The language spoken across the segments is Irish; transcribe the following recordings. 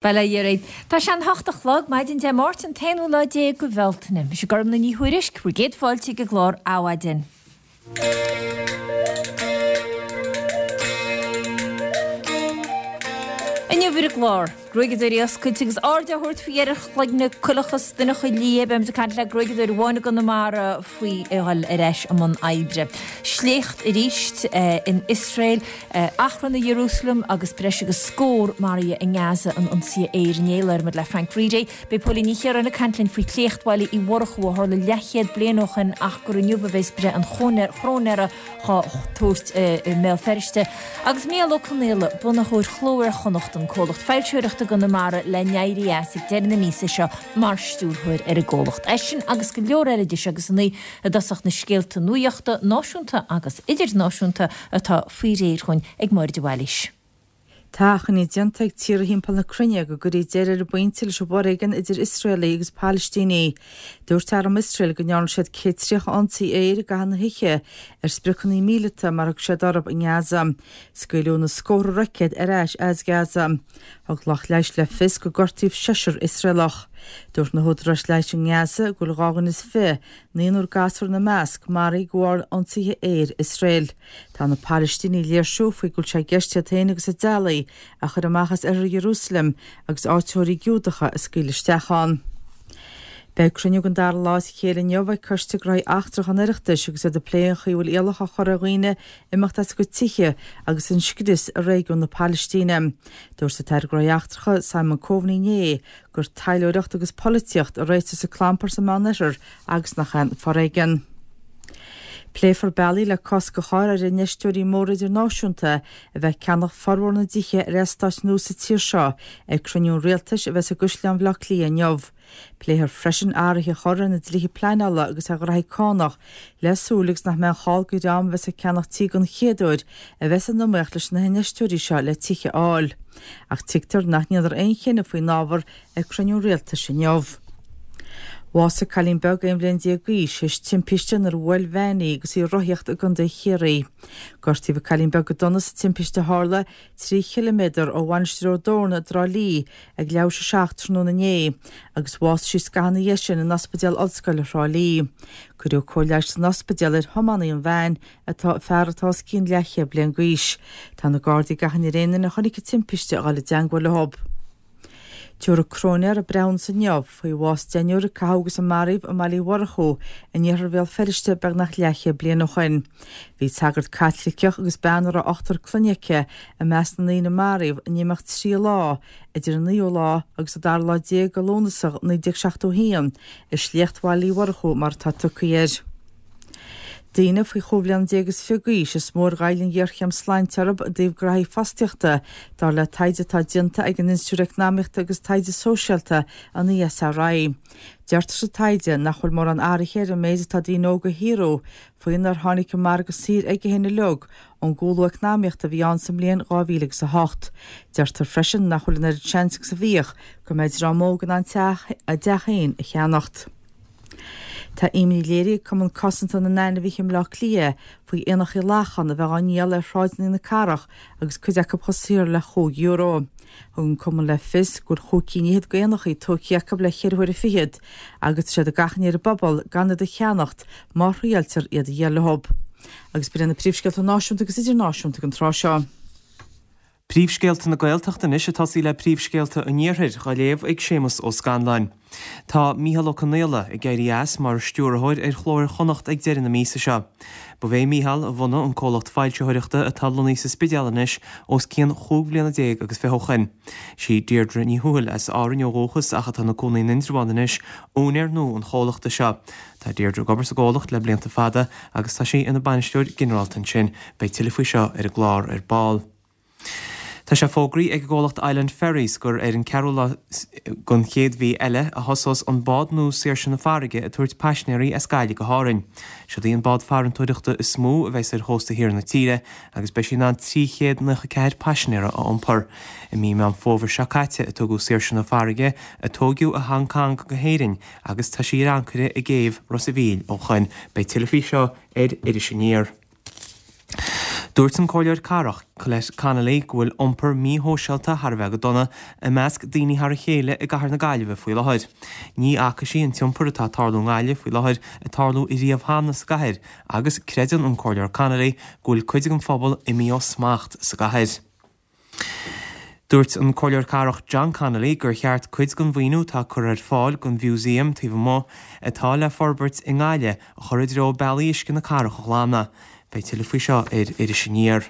Bail ó Dhia oraibh. Tá sé an hocht a chlog, maidin Dé Máirt an t-aonú lá déag de Bhealtaine. Mise Gormlaith Ní Thuairisg, bhur gcéad fáilte ag an gclár Adhmhaidin. Inniu ar an gclár, gruaigeadóirí oscailte agus aird á thabhairt faoi dheireadh ar chloigne coileacha is donnacha liatha. Beimid ag caint le gruaigeadóir amháin i gConamara faoi a dhul ar ais i mbun oibre. Sléacht arís in Iosrael. Achrann i Iarúsailéim agus breis agus scór maraithe i nGaza in ionsaithe aeir inné. Labhróimid le Frank Reidy. Beidh Póilín Ní Chiaráin ag caint linn faoi shléacht Bhaile Uí Mhurchú a tharla leathchéad bliain ó shin ach gur inniu a bheas breith an chróinéara dhá tabhairt i mBéal Feirste. Agus Mícheál Ó Conaola, bunaitheoir Chló Iar-Chonnacht, an comhlacht foilsitheoireachta i gConamara le n-éirí as ag deireadh na míosa seo mar stiúrthóir ar an gcomhlacht. É sin agus go leor eile de seo agus annaí i dtosach na scéalta nuachta náisiúnta agus idirnáisiúnta atá faoi réir dhúinn ag Máire de Bhailís. Tá achainí déanta ag tíortha thimpeall na cruinne go gcuirfí deireadh ar an bpointe leis an bhforéigean idir Iosraelaigh agus Palaistínigh. Dúirt arm Iosrael go ndearna siad 130 ionsaí aeir i gcaitheamh na hoíche ar spriocanna míleata mar a thug siad orthu i nGaza. Scaoileadh na scórtha roicéad ar ais as Gaza. Thug lucht leighis le fios gur gortaíodh seisear Iosraelach. Dúirt na húdaráis leighis i nGaza go bhfuil 22, naonúr gasúr ina measc, maraithe de bharr ionsaithe aeir Iosrael. Tá na Palaistínigh ag léirsiú faoi go bhfuil sé i gceist iad féin agus a dteaghlaigh a chur amach as oirthear Iarúsailéim agus áitritheoirí Giúdacha a scaoileadh isteach ann. Beidh cruinniú den dara lá as a chéile inniu ag Coiste Gnóthaí Eachtracha an Oireachtais agus iad ag plé an chaoi a bhfuil iallach á chur ar dhaoine imeacht as a gcuid tithe agus an scrios i réigiún na Palaistíne. Dúirt an tAire Gnóthaí Eachtracha Simon Coveney inné gur taidhleoireacht agus polaitíocht a réiteos an clampar sa Meánoirthear agus nach aon foréigean. Pléifear bealaí le cosc a chur ar infheisteoirí móra idirnáisiúnta a bheith ag ceannach formhór na dtithe ar eastáit nua sa tír seo ag cruinniú an Rialtais a bheas i gCaisleán Bhaile Átha Cliath inniu. Pléifear freisin athruithe a chur ar na dlíthe pleanála agus ar ghraithí cánach le súil agus nach mbeidh an chall do dhream a bheas ag ceannach tí den chéad uair a bheith san iomaíocht leis na hinfheisteoirí seo le tithe a fháil. Ach tuigtear nach ndéanfar aon chinneadh faoin ábhar ag cruinniú an Rialtais inniu. Bhásaigh cailín beag 11 bhliain d'aois théis timpiste nuair a bhuail veain í agus í ag rothaíocht i gContae Chiarraí. Gortaíodh an cailín beag go dona sa timpiste a tharla 3 chiliméadar ó Mhainistir Ó dTorna i dTrá Lí ag leathuair tar éis a 7 tráthnóna inné agus bhásaigh sí scaitheamh ina dhiaidh sin in Ospidéal Ollscoile Thrá Lí. Cuireadh cóir leighis san ospidéal ar thiománaí an veain atá fear atá os cionn leathchéad bliain d'aois. Tá na Gardaí ag achainí ar aon duine a chonaic an timpiste a dhul i dteangmháil leo. Tabharfaidh cróinéir breithiúnas inniu faoi bhás deichniúr a caitheadh agus a maraíodh i mBaile Uí Mhurchú in iarthar Bhéal Feirste beagnach leathchéad bliain ó shin. Bhí sagart Caitliceach agus bean a raibh ochtar clainne aici i measc na ndaoine a maraíodh in imeacht 3 lá idir an naoú lá agus an dara lá déag de Lúnasa 1971 i sléacht Bhaile Uí Mhurchú mar atá tugtha air. Daoine faoi chúig bhliana déag is fiche d'aois is mó ar ghoill an ghéarchéim sláinte orthu i dtaobh graithí fostaíochta, dar le taighde atá déanta ag an Institiúid Eacnamaíochta agus Taighde Sóisialta, an ESRI. Deirtear sa taighde nach bhfuil mórán athraithe ar an méid atá daoine óga a shaothrú faoinar tháinig an margadh saothair aige féin uilig ón gcúlú eacnamaíochta a bhí ann sa mbliain 2008. Deirtear freisin nach bhfuil an oiread seans agus a bhíodh go mbeidh dream óg in ann a dteach féin a cheannacht. Tá imní léirithe ag Cumann Cosanta na nAinmhithe i mBleá Cliath faoi éanachaí lachan a bheith á ndíol ar shráideanna na cathrach agus cuid acu chomh saor le €5. Thug an cumann le fios go bhfuil chúig cinn fhichead d'éanachaí tógtha acu le ceithre huaire fichead agus tá siad ag achainí ar an bpobal gan iad a cheannacht má thriailtear iad a dhíol leo. Agus b'in iad na príomhscéalta náisiúnta agus idirnáisiúnta ag an tráth seo. Príomhscéalta na Gaeltachta anois ag tosaí le príomhscéalta an Iarthair, dhá léamh ag Séamus Ó Scanláin. Tá Mícheál Ó Conaola ag éirí as mar stiúrthóir ar Chló Iar-Chonnacht ag deireadh na míosa seo. Ba é Mícheál a bhunaigh an comhlacht foilsitheoireachta atá lonnaithe sa Spidéal anois os cionn chúig bhliana déag agus fiche ó shoin. Sí Deirdre Ní Thuathail, as Árainn ó dhúchas ach atá ina cónaí in Indreabhán anois, úinéir nua an chomhlachta seo. Tá Deirdre ag obair sa gcomhlacht le blianta fada agus tá sí ina bainisteoir ginearálta ansin. Beidh tuilleadh faoi seo ar an gclár ar ball. Tá sé fógraithe ag an gcomhlacht Island Ferries gur ar an ceathrú lá den chéad mhí eile a thosós an bád nua Saoirse na Farraige ag tabhairt paisinéirí as Gaillimh go hÁrainn. Siod í an bád farantóireachta is mó a bheas ar chósta thiar na tíre agus beidh sí in ann 394 paisinéara a iompar. I mí Meán Fómhair seo caite a tugadh Saoirse na Farraige, a tóigeadh i Hong Cong, go hÉirinn agus tá sí ar ancaire i gcéibh Ros a' Mhíl ó shoin. Beidh tuilleadh faoi seo ar Iris Aniar. Dúirt an Comhairleoir Cathrach, Colette Connolly, go bhfuil iompar míshóisialta thar a bheith go dona i measc daoine thar a chéile i gcathair na Gaillimhe faoi láthair. Ní fhaca sí an t-iompar atá ag tarlú i nGaillimh faoi láthair ag tarlú riamh cheana sa gcathair agus creideann an Comhairleoir Connolly go bhfuil cuid den phobal imithe ó smacht sa gcathair. Dúirt an Comhairleoir Cathrach John Connolly gur cheart cuid den mhaoiniú atá curtha ar fáil don mhúsaem taobh amuigh atá le forbairt i nGaillimh a chur i dtreo bealaí uisce na cathrach a ghlanadh. Beidh tuilleadh faoi seo ar Iris Aniar.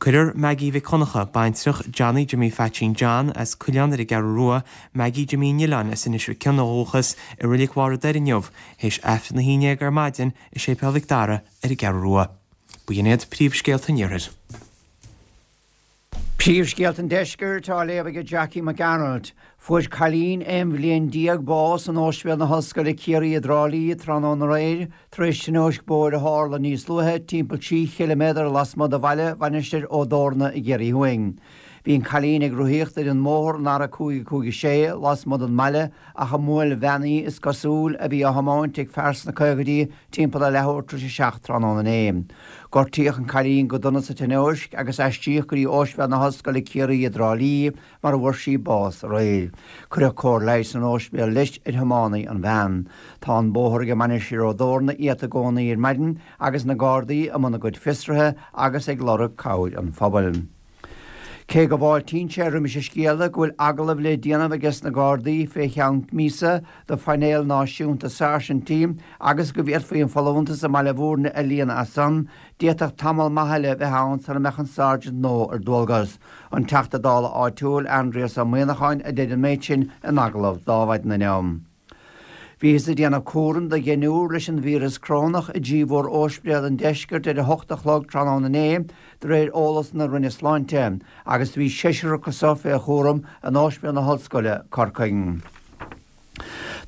Cuirfear Maggie Mhic Dhonncha, baintreach Johnny Jimmy Pheaitsín John as Cuileán ar an gCeathrú Rua, Maggie Jimmy an Oileáin as Inis Mhic Cionnaith ó dhúchas, i Reilig Bharr an Doire inniu, théis Aifreann 11 ar maidin i Séipéal Mhic Dara ar an gCeathrú Rua. B'in iad príomhscéalta an Iarthair. Príomhscéalta an Deiscirt á léamh ag Jackie Mac Gearailt. Fuair cailín 11 bhliain bás in Ospidéal na hOllscoile Ciarraí i dTrá Lí tráthnóna aréir tar éis tionóisc bóthair a tharla níos luaithe timpeall 3 chiliméadar lasmuigh de bhaile Mhainistir Ó dTorna i gCiarraí Thuaidh. Bhí an cailín ag rothaíocht ar an mbóthar an R556 lasmuigh den mbaile ach i mbuail bhean í, is cosúil, a bhí á thiomáint ag fear sna caogaidí timpeall a leathuair tar éis a 7 tráthnóna inné. Gortaíodh an cailín go dona sa tionóisc agus aistríodh go dtí Ospidéal na hOllscoile Ciarraí i dTrá Lí mar a bhfuair sí bás aréir. Cuireadh cóir leighis san ospidéal leis ar thiománaí an veain. Tá an bóthar ag Mainistir Ó dTorna iata i gcónaí ar maidin agus na Gardaí i mbun a gcuid fiosruithe agus ag lorg cabhair an phobail. Cé go bhfáiltíonn sé roimis an scéala go bhfuil agallamh le déanamh aige sna Gardaí fé cheann míosa do phainéal náisiúnta sáirsintí agus go bhféadfaí an folúntas i mBaile Bhúirne a líonadh as san, d'fhéadfadh tamall maith eile bheith ann sara mbeadh an sáirsint nua ar dualgas. An Teachta Dála áitiúil, Aindrias Ó Muíneacháin, a deir an méid sin in agallamh d'Adhmhaidin inniu. Bhíothas ag déanamh cúraim do dheichniúr leis an víreas corónach i dtrí mhór-óispidéal an deiscirt ar 8 a chlog tráthnóna inné, de réir eolas na Roinne Sláinte, agus bhí seisear acu so fé chúram in Óispidéal na hOllscoile, Corcaigh.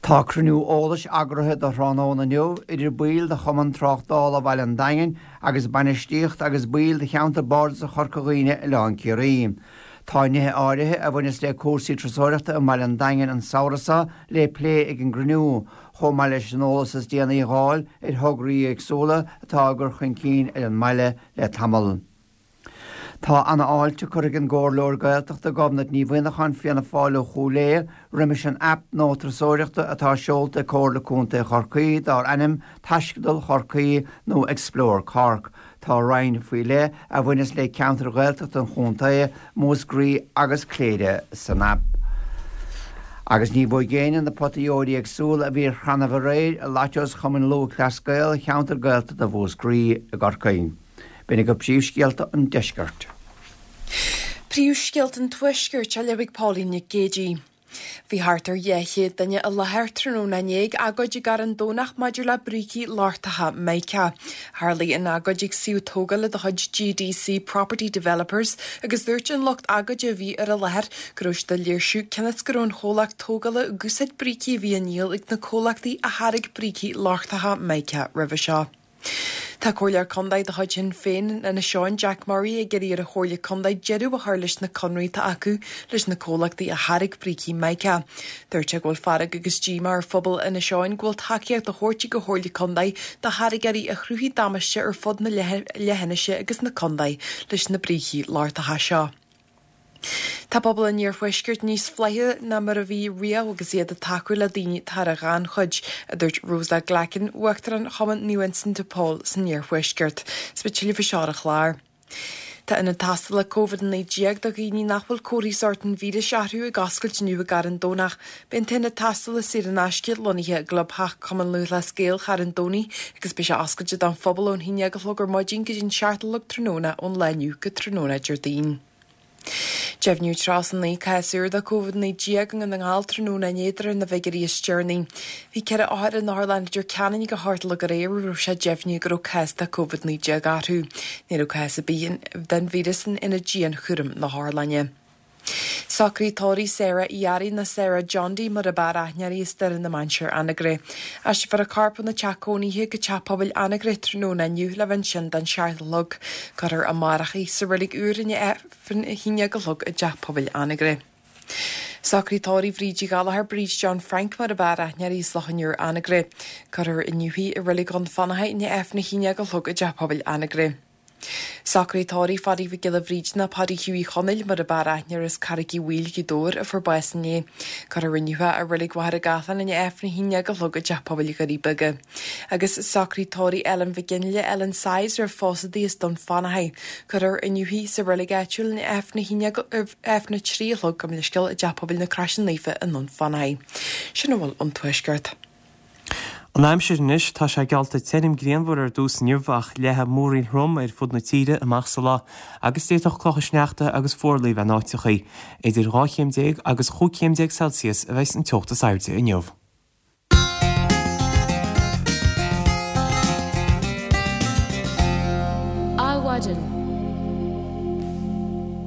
Tá cruinniú eolais eagraithe do thráthnóna inniu idir baill de Chumann Tráchtála Bhaile an Daingin agus bainistíocht agus baill de Cheantar Bardasach Chorca Dhuibhne Oileán Ciarraí. Tá nithe áirithe a bhaineas le cúrsaí turasóireachta i mBaile an Daingin an samhradh seo le plé ag an gcruinniú, chomh maith leis an eolas is déanaí a dh'fháil ar thograí éagsúla atá á gcur chun cinn ar an mbaile le tamall. Tá ana-fháilte curtha ag an gComhairleoir Gaeltachta Gobnait Ní Mhuineacháin, Fianna Fáil ó Chúil Aodha, roimis an aip nua turasóireachta atá seolta ag Comhairle Contae Chorcaí dár ainm Taisceadal Chorcaí nó Explore Cork. Tá roinn faoi leith a bhaineas le ceantair Ghaeltachta an chontae, Múscraí agus Cléire, san aip. Agus ní bhfuair éinne na potaí óir éagsúla a bhí ar chrannaibh aréir i Lottos Chumann Lúthchleas Gael cheantar Gaeltachta Mhúscraí i gCorcaigh. B'in agaibh príomhscéalta an deiscirt. Príomhscéalta an Tuaiscirt á léamh ag Pauline Nic Géadaigh. Bhí thart ar 200 duine i láthair tráthnóna inné ag agóid i gCarn Domhnach maidir le brící lochtacha Mica. Tharlaigh an agóid ag suíomh tógála de chuid GDC Property Developers agus dúirt an lucht agóide a bhí ar an láthair go raibh siad ag léirsiú cionn is go raibh an chomhlacht tógála ag úsáid brící a bhí á ndíol ag na comhlachtaí a tháirg brící lochtacha Mica roimhe seo. Tá Comhairleoir Contae de chuid Shinn Féin in Inis Eoghain, Jack Murray, ag iarraidh ar an Chomhairle Contae deireadh a chur leis na conraí atá acu leis na comhlachtaí a tháirg brící Mica. Dúirt sé go bhfuil fearg agus díomá ar phobal Inis Eoghain go bhfuil tacaíocht á thabhairt ag an Chomhairle Contae do tháirgeoirí a chruthaigh damáiste ar fud na leithinise agus na contae leis na brící lochtacha seo. Tá pobal an iarthuaiscirt níos flaithiúla ná mar a bhí riamh agus iad ag tacú le daoine atá ar an ghannchuid, a dúirt Rosa Glackin, Uachtarán Chumann Naomh Uinseann de Pól san iarthuaisceart. Is beidh tuilleadh faoi seo ar an chlár. Tá ionad tástála Covid-19 do dhaoine nach bhfuil comharthaí sóirt an víris orthu ag oscailt inniu i gCarn Domhnach. Beidh an t-ionad tástála saor in aisce lonnaithe i gClubtheach Chumann Lúthchleas Gael Charn Domhnaigh agus beidh sé oscailte don phobal ón 11 a chlog ar maidin go dtí an 7 a chlog tráthnóna ón lá inniu go tráthnóna Déardaoin. Deimhníodh 39 cás úr de Covid-19 i nDún na nGall tráthnóna inné de réir na bhfigiúirí is deireanaí. Bhí 4 othar in otharlann Leitir Ceanainn ag a hocht a chlog aréir a raibh sé deimhnithe go raibh cás de Covid-19 orthu. Ní raibh cás ar bith den víreas in aonad dianchúraim na hotharlainne. Socruithe tórraimh Sarah Uí Fhearraigh nó Sarah Johndy mar ab fhearr aithne uirthi as Doire na Mainséar Anagaire. Aistreofar a corp óna teach cónaithe go teach pobail Anagaire tráthnóna inniu le bheith ansin don seacht a chlog. Cuirfear amárach í sa reilig úr i ndiaidh Aifreann a haon déag a chlog i dteach pobail Anagaire. Socruithe tórraimh Bhríd Uí Ghallchóir, Bríd John Frank mar ab fhearr aithne uirthi as Loch an Iúir Anagaire. Cuirfear inniu í i reilig Dhún Fionnachaidh i ndiaidh Aifreann a haon déag a chlog i dteach pobail Anagaire. Socraíodh tórraimh Pháidí Mhic Giolla Bhríde nó Páidí Hughie Chonaill mar a b'fhearr aithne air as Carraig Uí Bhaoill, Gaoth Dobhair, a fuair bás inné. Cuirfear inniu é i Reilig Mhachaire Gathlán i ndiaidh Aifreann a haon déag a chlog i dTeach Pobail Dhoirí Beaga. Agus socraíodh tórraimh Ellen Mhic Fhionnghaile, Ellen Size, roimh phósadh di as Dún Fionnachaidh. Cuirfear inniu í sa reilig áitiúil i ndiaidh Aifreann a haon déag Aifreann 3 a chlog gabh mo leithscéal i dTeach Pobail na Croise Naofa i nDún Fionnachaidh. Sin a bhfuil ón Tuaisceart. An aimsir anois, tá sé geallta tirim grianmhar ar dtús inniu ach leathfaidh múraíl throm ar fud na tíre amach sa lá agus d'fhéadfadh clocha sneachta agus fuarlaigh a bheith in áiteachaí. Idir 12 chéim agus 15 chéim Celsius a bheas an teocht is airde inniu. Adhmhaidin.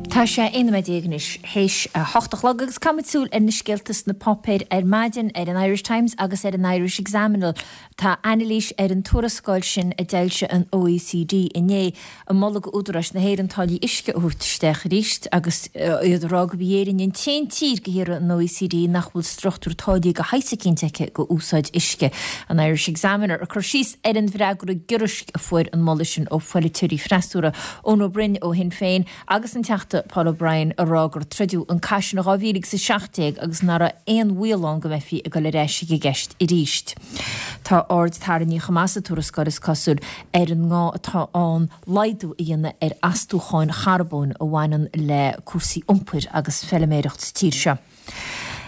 Tá sé 11 nóiméad anois théis a hocht a chlog agus caithfimid súil ar na scéalta sna páipéir ar maidin, ar an Irish Times agus ar an Irish Examiner. Tá anailís ar an tuarascáil sin a d'fhoilsigh an OECD inné, ag moladh d'údaráis na hÉireann táillí uisce a thabhairt isteach arís agus iad ag rá gurb í Éirinn an t-aon tír de thíortha an OECD nach bhfuil struchtúr táillí de shaghas eicínt aici do úsáid uisce. An Irish Examiner ag cur síos ar an bhfreagra giorraisc a fuair an moladh sin ó pholaiteoirí freasúra, Eoin Ó Broin ó Shinn Féin agus an Teachta Paul O'Brien ag rá gur troideadh an cath sin in 2017 agus nach raibh aon bhaol ann go mbeifí ag dul ar ais ag an gceist arís. Tá aird tarraingthe chomh maith sa tuarascáil, is cosúil, ar an ngá atá ann laghdú a dhéanamh ar astúcháin charbóin a bhaineann le cúrsaí iompair agus feiliméireacht sa tír seo.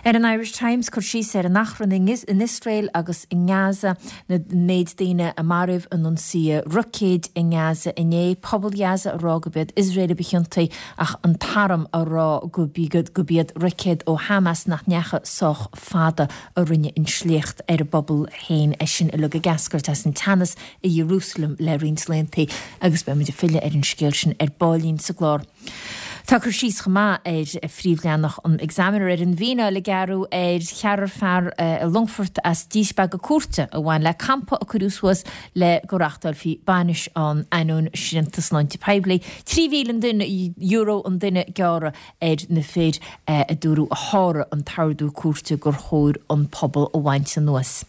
Ar an Irish Times, cur síos ar an achrann in Iosrael agus i nGaza, an méid daoine a maraíodh in ionsaithe roicéid i nGaza inné, pobal Ghaza ag rá gurb iad Iosrael a ba chiontaí ach an t-arm ag rá gurb iad roicéid ó Hamas nach ndeachaigh sách fada a rinne an sléacht ar an bpobal féin, é sin uilig ag eascairt as an teannas i Iarúsailéim le roinnt laethanta agus beidh muid ag filleadh ar an scéal sin ar baillín sa gclár. Tá cur síos chomh maith ar phríomhleathanach an Examiner ar an bhfíneáil a gearradh ar cheathrar fear i Longfort as díspeagadh cúirte a bhain le campa a cuireadh suas le go reáchtálfaí bainis ann ainneoin srianta sláinte poiblí. €3,000 an duine, euro an duine gearradh ar na fir a dúradh a sháraigh an t-ordú cúirte gur chóir an puball a bhaint anuas.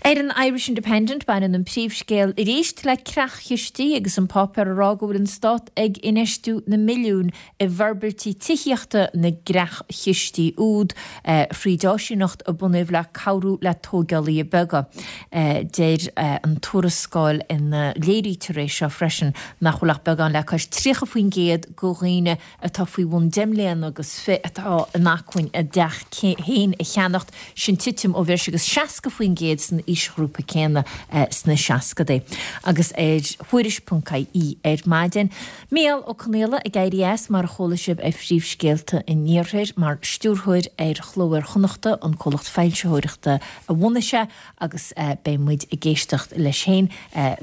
Ar an Irish Independent, baineann an príomhscéal arís le creach-chistí agus an páipéar ag rá go bhfuil an stát ag infheistiú na milliúin i bhforbairtí tithíochta na gcreach-chistí úd thríd áisíneacht a bunaíodh le cabhrú le tóigeálaithe beaga. Deir an tuarascáil ina léirítear é seo freisin nach bhfuil ach beagán le cois 30% de dhaoine atá faoi bhun deich mbliana agus fi atá in acmhainn a dteach féin a cheannacht, sin titim ó bhreis agus 60% san aoisghrúpa céanna sna seascadaí. Agus ar Thuairisc.ie ar maidin, Mícheál Ó Conghaile ag éirí as, mar a chuala sibh ar phríomhscéalta an Iarthair, mar stiúrthóir ar Chló Iar-Chonnachta, an comhlacht foilsitheoireachta a bhunaigh sé, agus beidh muid ag éisteacht leis féin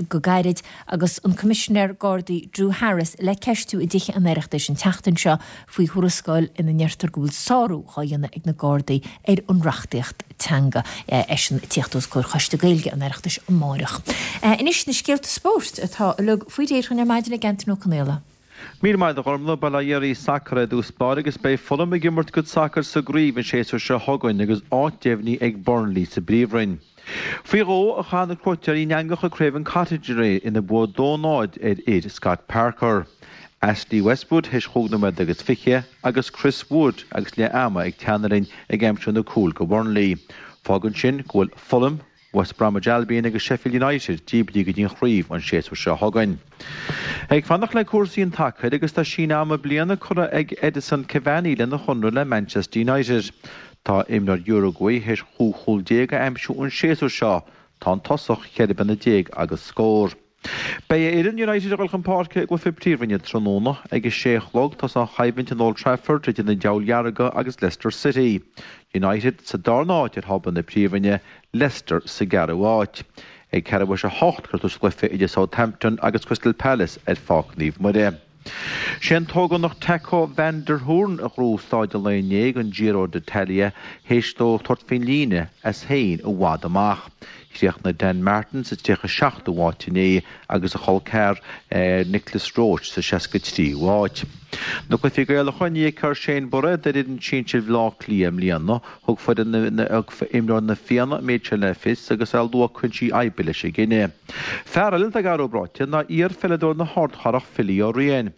go gairid. Agus an Coimisinéir Gardaí Drew Harris le ceistiú i dTithe an Oireachtais an tseachtain seo faoi thuarascáil ina ndeirtear go bhfuil sárú dhá dhéanamh ag na Gardaí ar an reachtaíocht teanga. Eisean ag tíocht os comhair Choiste Gaeilge an Oireachtais amáireach. Anois na scéalta spóirt atá uilig faoi réir dhúinn ar maidin ag Antain Ó Conaola. Míle maith agat a Ghormfhlaith, bail ó Dhia oraibh sacar i dtús báire agus beidh Fulham ag imirt a gcuid sacair sa gcraobh an séasúr seo chugainn agus áit deimhnithe ag Burnley sa bPríomhroinn. Faoi dhó a chaith na cuairteoirí in eangach ag Craven Cottage aréir ina bua 2-0 ar fhir Scott Parker. Ashley Westwood théis chúig nóiméad agus fiche agus Chris Wood agus leath ama ag teannadh linn ag aimsiú na cúil go Burnley. Fágann sin go bhfuil Fulham, West Bromwich Albion agus Sheffield United díbrithe go dtí an chraobh an séasúr seo chugainn. Ag fanacht le cúrsaí an tsacair agus tá síneadh ama bliana curtha ag Edinson Cavani lena chonradh le Manchester United. Tá imreoir Uruguay théis 15 chúl a aimsiú an séasúr seo. Tá an tosach 14 bliana agus scór. Beidh a fhoireann United ag dul chun páirce i gcluiche Príomhroinne tráthnóna. Ag a sé a chlog tosóidh an choimhlint in Old Trafford idir na Diabhail Dhearga agus Leicester City. United sa darna háit ar thábla na Príomhroinne, Leicester sa gceathrú háit. Ag ceathrú théis a hocht cuirfear tús le cluiche idir Southampton agus Crystal Palace ar Pháirc Naomh Muire. Sé an t-ógánach Taco van der Hoorn a ghnóthaigh staid an lae inné den Giro d'Italia théis dó tabhairt faoin líne as féin i bhfad amach. Chríochnaigh Dan Martin sa 37ú háit inné agus a chol ceathar Nicholas Roche sa 63ú háit. Na cluichí Gaelacha, ní fheicfear Shane Bairéad ar fhoireann sinsir Bhaile Átha Cliath i mbliana. Thug foireann na imreoir na Fianna an méid sin le fios agus é ag lua cúinsí oibre leis an gcinneadh. Fear eile atá ag athrú bráite ná iar-pheileadóir na hArdchathrach Philly Ó Riain.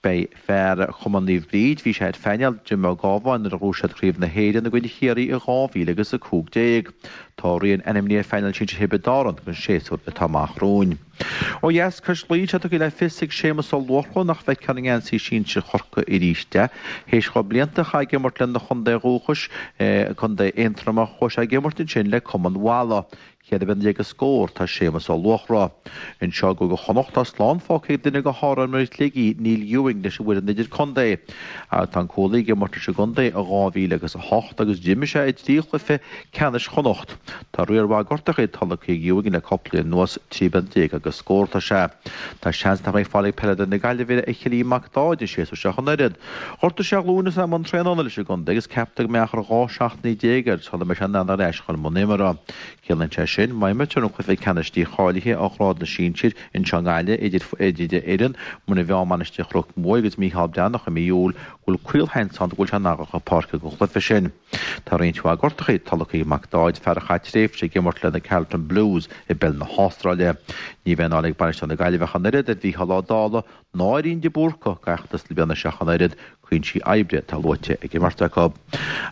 Beidh fear Chumann Naomh Bríd, bhí sé ar phainéal Jim Ó Gábháin nuair a ghnóthaigh siad Craobh na hÉireann i gcoinne Chiarraí i 2015. Tá Ó Riain ainmnithe ar phainéal sinsir Thiobraid Árann don séasúr atá amach romhainn. Ó dheas cois Laoi, tá tugtha le fios ag Séamus Ó Luachra nach bhfeicfear i ngeansaí sinsir Chorcaí arís é. Théis dhó blianta a chaitheamh ag imirt lena chontae dhúchais, Contae Aontroma, chuaigh sé ag imirt ansin le Cumann Mhalla. Cheithre bliana déag is scór tá Séamus Ó Luachra. Anseo i gCúige Chonnacht tá slán fágtha ag duine de shárimreoirí Shligigh, Neil Ewing, leis an bhfoireann idirchontae. Tá an cúlaí ag imirt leis an gcontae ó 2000 agus 8 agus d'imir sé i dtrí chluiche ceannais Chonnacht. Tá riar mhaith gortachaí tolgtha ag Ewing le cúpla bliain anuas, 13 bliana agus scór atá sé. Tá seans nach mbeidh fáil ag peileadóir na Gaillimhe ar Chillian Mac Dáid an séasúr seo ach an oiread. Ghortaigh sé a ghlúin agus é i mbun traenála leis an gcontae agus ceaptar go mbeidh achar 12 seachtainí air sula mbeidh sé in ann ar ais chun mbun imeartha. Ciallaíonn sé sin, má imrítear an cluiche ceannais dícháilithe ó ghrád na sinsir anseo i nGaillimh idir fhoireann Muine Mheá Mainistir Chnoc Muaidh agus Mícheál Breathnach i mí Iúil, go bhfuil caolsheans ann go bhfuil sé in ann a dhul chun páirce don chluiche sin. Tá roinnt mhaith gortachaí tolgtha ag Mac Dáid, fear a chaith tréimhse ag imirt le na Carlton Blues i bpeil na hAstráile. Ní bheidh an fháil ag bainisteoir na Gaillimhe ach an oiread ar Mhícheál Ó Dálaigh ná ar Ian de Búrca d'fheachtas na bliana seo ach an oiread, cúinsí oibre atá luaite ag an mbeirt acu.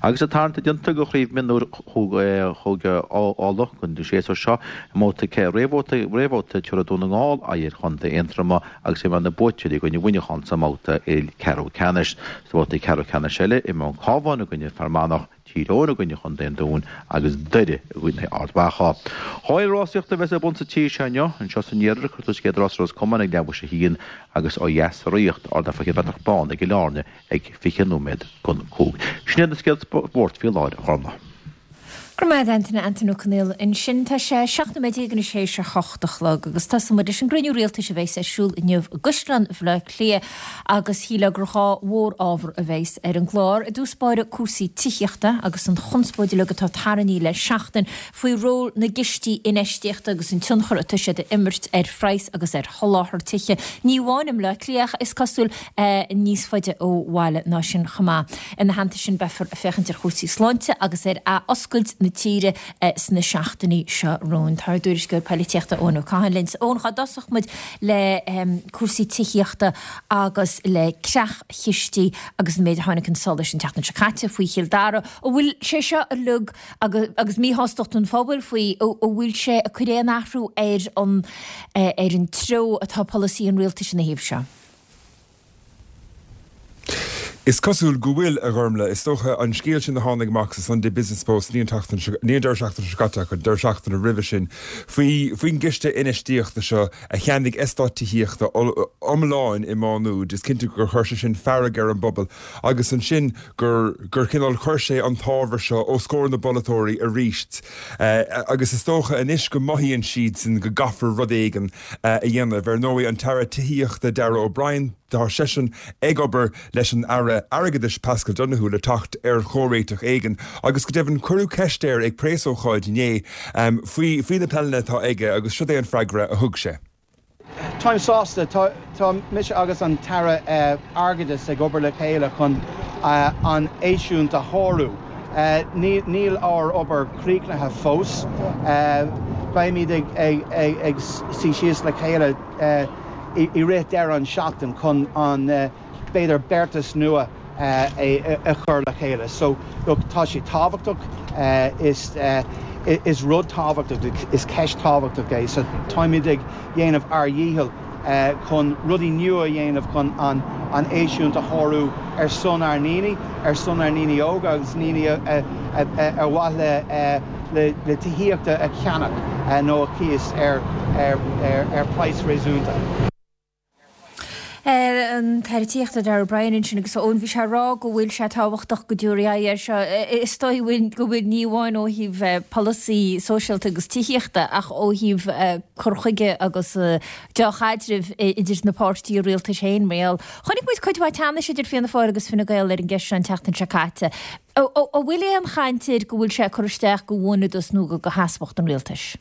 Agus an tarraingt déanta do Chraobh Mionúir Chúige Uladh don séasúr seo, i mbabhta réamhbhabhta réamhbhabhta tabharfaidh Dún na nGall aghaidh ar Chontae Aontroma agus imreoidh na buaiteoirí i gcoinne Mhuineacháin sa mbabhta ceathrú ceannais. Sa bhabhta ceathrú ceannais eile, imreoidh an Cabhán i gcoinne Fear Manach, Tír Eoghain i gcoinne Chontae an Dúin agus Doire i gcoinne Ard Mhacha. Dhá fhéile rásaíochta a bheas ar bun sa tír seo inniu, anseo san iarthar, cuirfear tús an chéad rás i Ros Comáin ag leathuair théis a haon agus ó dheas sa Ríocht, ardán Faiche Bhreatnach Bán i gCill Airne ag 20 nóiméad don 5. Sin iad na scéalta spóirt faoi láthair, a Ghormfhlaith. Go raibh maith agat Antaine, Antaine Ó Conaola ansin. Tá sé 17 nóiméad anois théis a hocht a chlog agus tosóidh muid leis an gcruinniú rialtais a bheas ar siúl inniu i gCaisleán Bhaile Átha Cliath agus shílfeá gur dhá mhór-ábhar a bheas ar an gclár. I dtús báire cúrsaí tithíochta agus an chonspóid uilig atá tarraingthe le seachtain faoi ról na gcistí infheistíochta agus an tionchar atá siad a imirt ar phraghas agus ar sholáthar tithe, ní amháin i mBleá Cliath ach is cosúil níos faide ó bhaile ná sin chomh maith. Ina theannta sin beifear ag féachaint ar chúrsaí sláinte agus ar athoscailt na tíre sna seachtainí seo romhainn. Tá ár dtuairisceoir poilitíochta Eoin Ó Catháin linn. Eoin, cá dtosódh muid le cúrsaí tithíochta agus le creach-chistí agus an méid a tháinig chun solais an tseachtain seo caite faoi Chill Dara. An bhfuil sé seo uilig agus míshástacht an phobail faoi, an bhfuil sé ag cur aon athrú ar an ar an treo atá polasaí an rialtais ina thaobh seo? Is cosúil go bhfuil, a Ghormlaith. Is dócha, an scéal sin a tháinig amach sa Sunday Business Post, ní an tseachtain seo, ní an deireadh seachtaine seo caite ach an deireadh seachtaine roimhe sin, faoi, faoin gciste infheistíochta seo a cheannaigh eastát tithíochta iomláin i Má Nuad. Is cinnte gur chuir sé sin fearg ar an bpobal agus ansin gur, gur cineál chuir sé an t-ábhar seo os comhair na bpolaiteoirí arís. Agus is dócha anois go mothaíonn siadsan go gcaithfear rud éigin a dhéanamh. Ar ndóigh, an tAire Tithíochta Darragh O'Brien, tá seisean ag obair leis an Aire Airgeadais Paschal Donohoe le teacht ar chomhréiteach éigin agus go deimhin cuireadh ceist air ag preasócáid inné faoi faoi na pleananna atá aige agus siod é an freagra a thug sé. Táim sásta. Tá mise agus an tAire Airgeadais ag obair le chéile chun an eisiúint a shárú. Níl ár obair críochnaithe fós. Beimid ag suí síos le chéile i rith deireadh an seachtain chun an, b'fhéidir, beartas nua a chur le chéile. So, look, tá sé tábhachtach, is rud tábhachtach, is ceist tábhachtach é. So, táimid ag dhéanamh ár dhícheall chun rudaí nua a dhéanamh chun an eisiúint a shárú ar son ár ndaoine, ar son ár ndaoine óga agus ndaoine ar mhaith le tithíocht a cheannach nó a chíos ar praghas réasúnta. An tAire Tithíochta Darragh O'Brien ansin agus Eoin bhí sé ag rá go bhfuil sé tábhachtach go dtabharfaí aghaidh air seo. Is dóigh go bhfuil ní amháin ó thaobh polasaí sóisialta agus tithíochta ach ó thaobh cur chuige agus dea-chaidrimh idir na páirtithe rialtais féin mar gheall. Chonaic muid cuid mhaith teannais idir Fianna Fáil agus Fine Gael ar an gceist seo an tseachtain seo caite. An bhfuil aon chaint air go bhfuil sé ag cur isteach go bhuanadas nó go sheasmhacht an rialtais?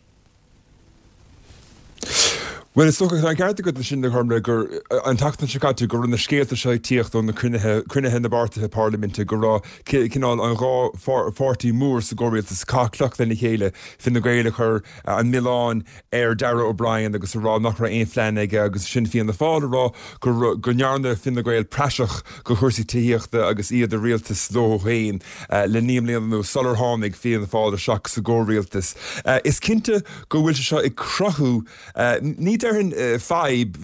Bhuel, is dócha, tá an ceart agat ansin, a Ghormlaith, gur an tseachtain seo caite go raibh na scéalta seo ag tíocht ó na cruinnithe, cruinnithe na bpáirtithe parlaiminte, go raibh cineál an dhá pháirtí mór sa gcomhrialtas ag caitheamh cloch lena chéile, Fine Gael ag cur an milleáin ar Darragh O'Brien agus ag rá nach raibh aon phlean aige agus sin Fianna Fáil ag rá go go ndearna Fine Gael praiseach de chúrsaí tithíochta agus iad i rialtas leo féin le 9 mbliana anuas sular tháinig Fianna Fáil isteach sa gcomhrialtas. Is cinnte go bhfuil sé seo ag cruthú, ní déarfainn fadhb,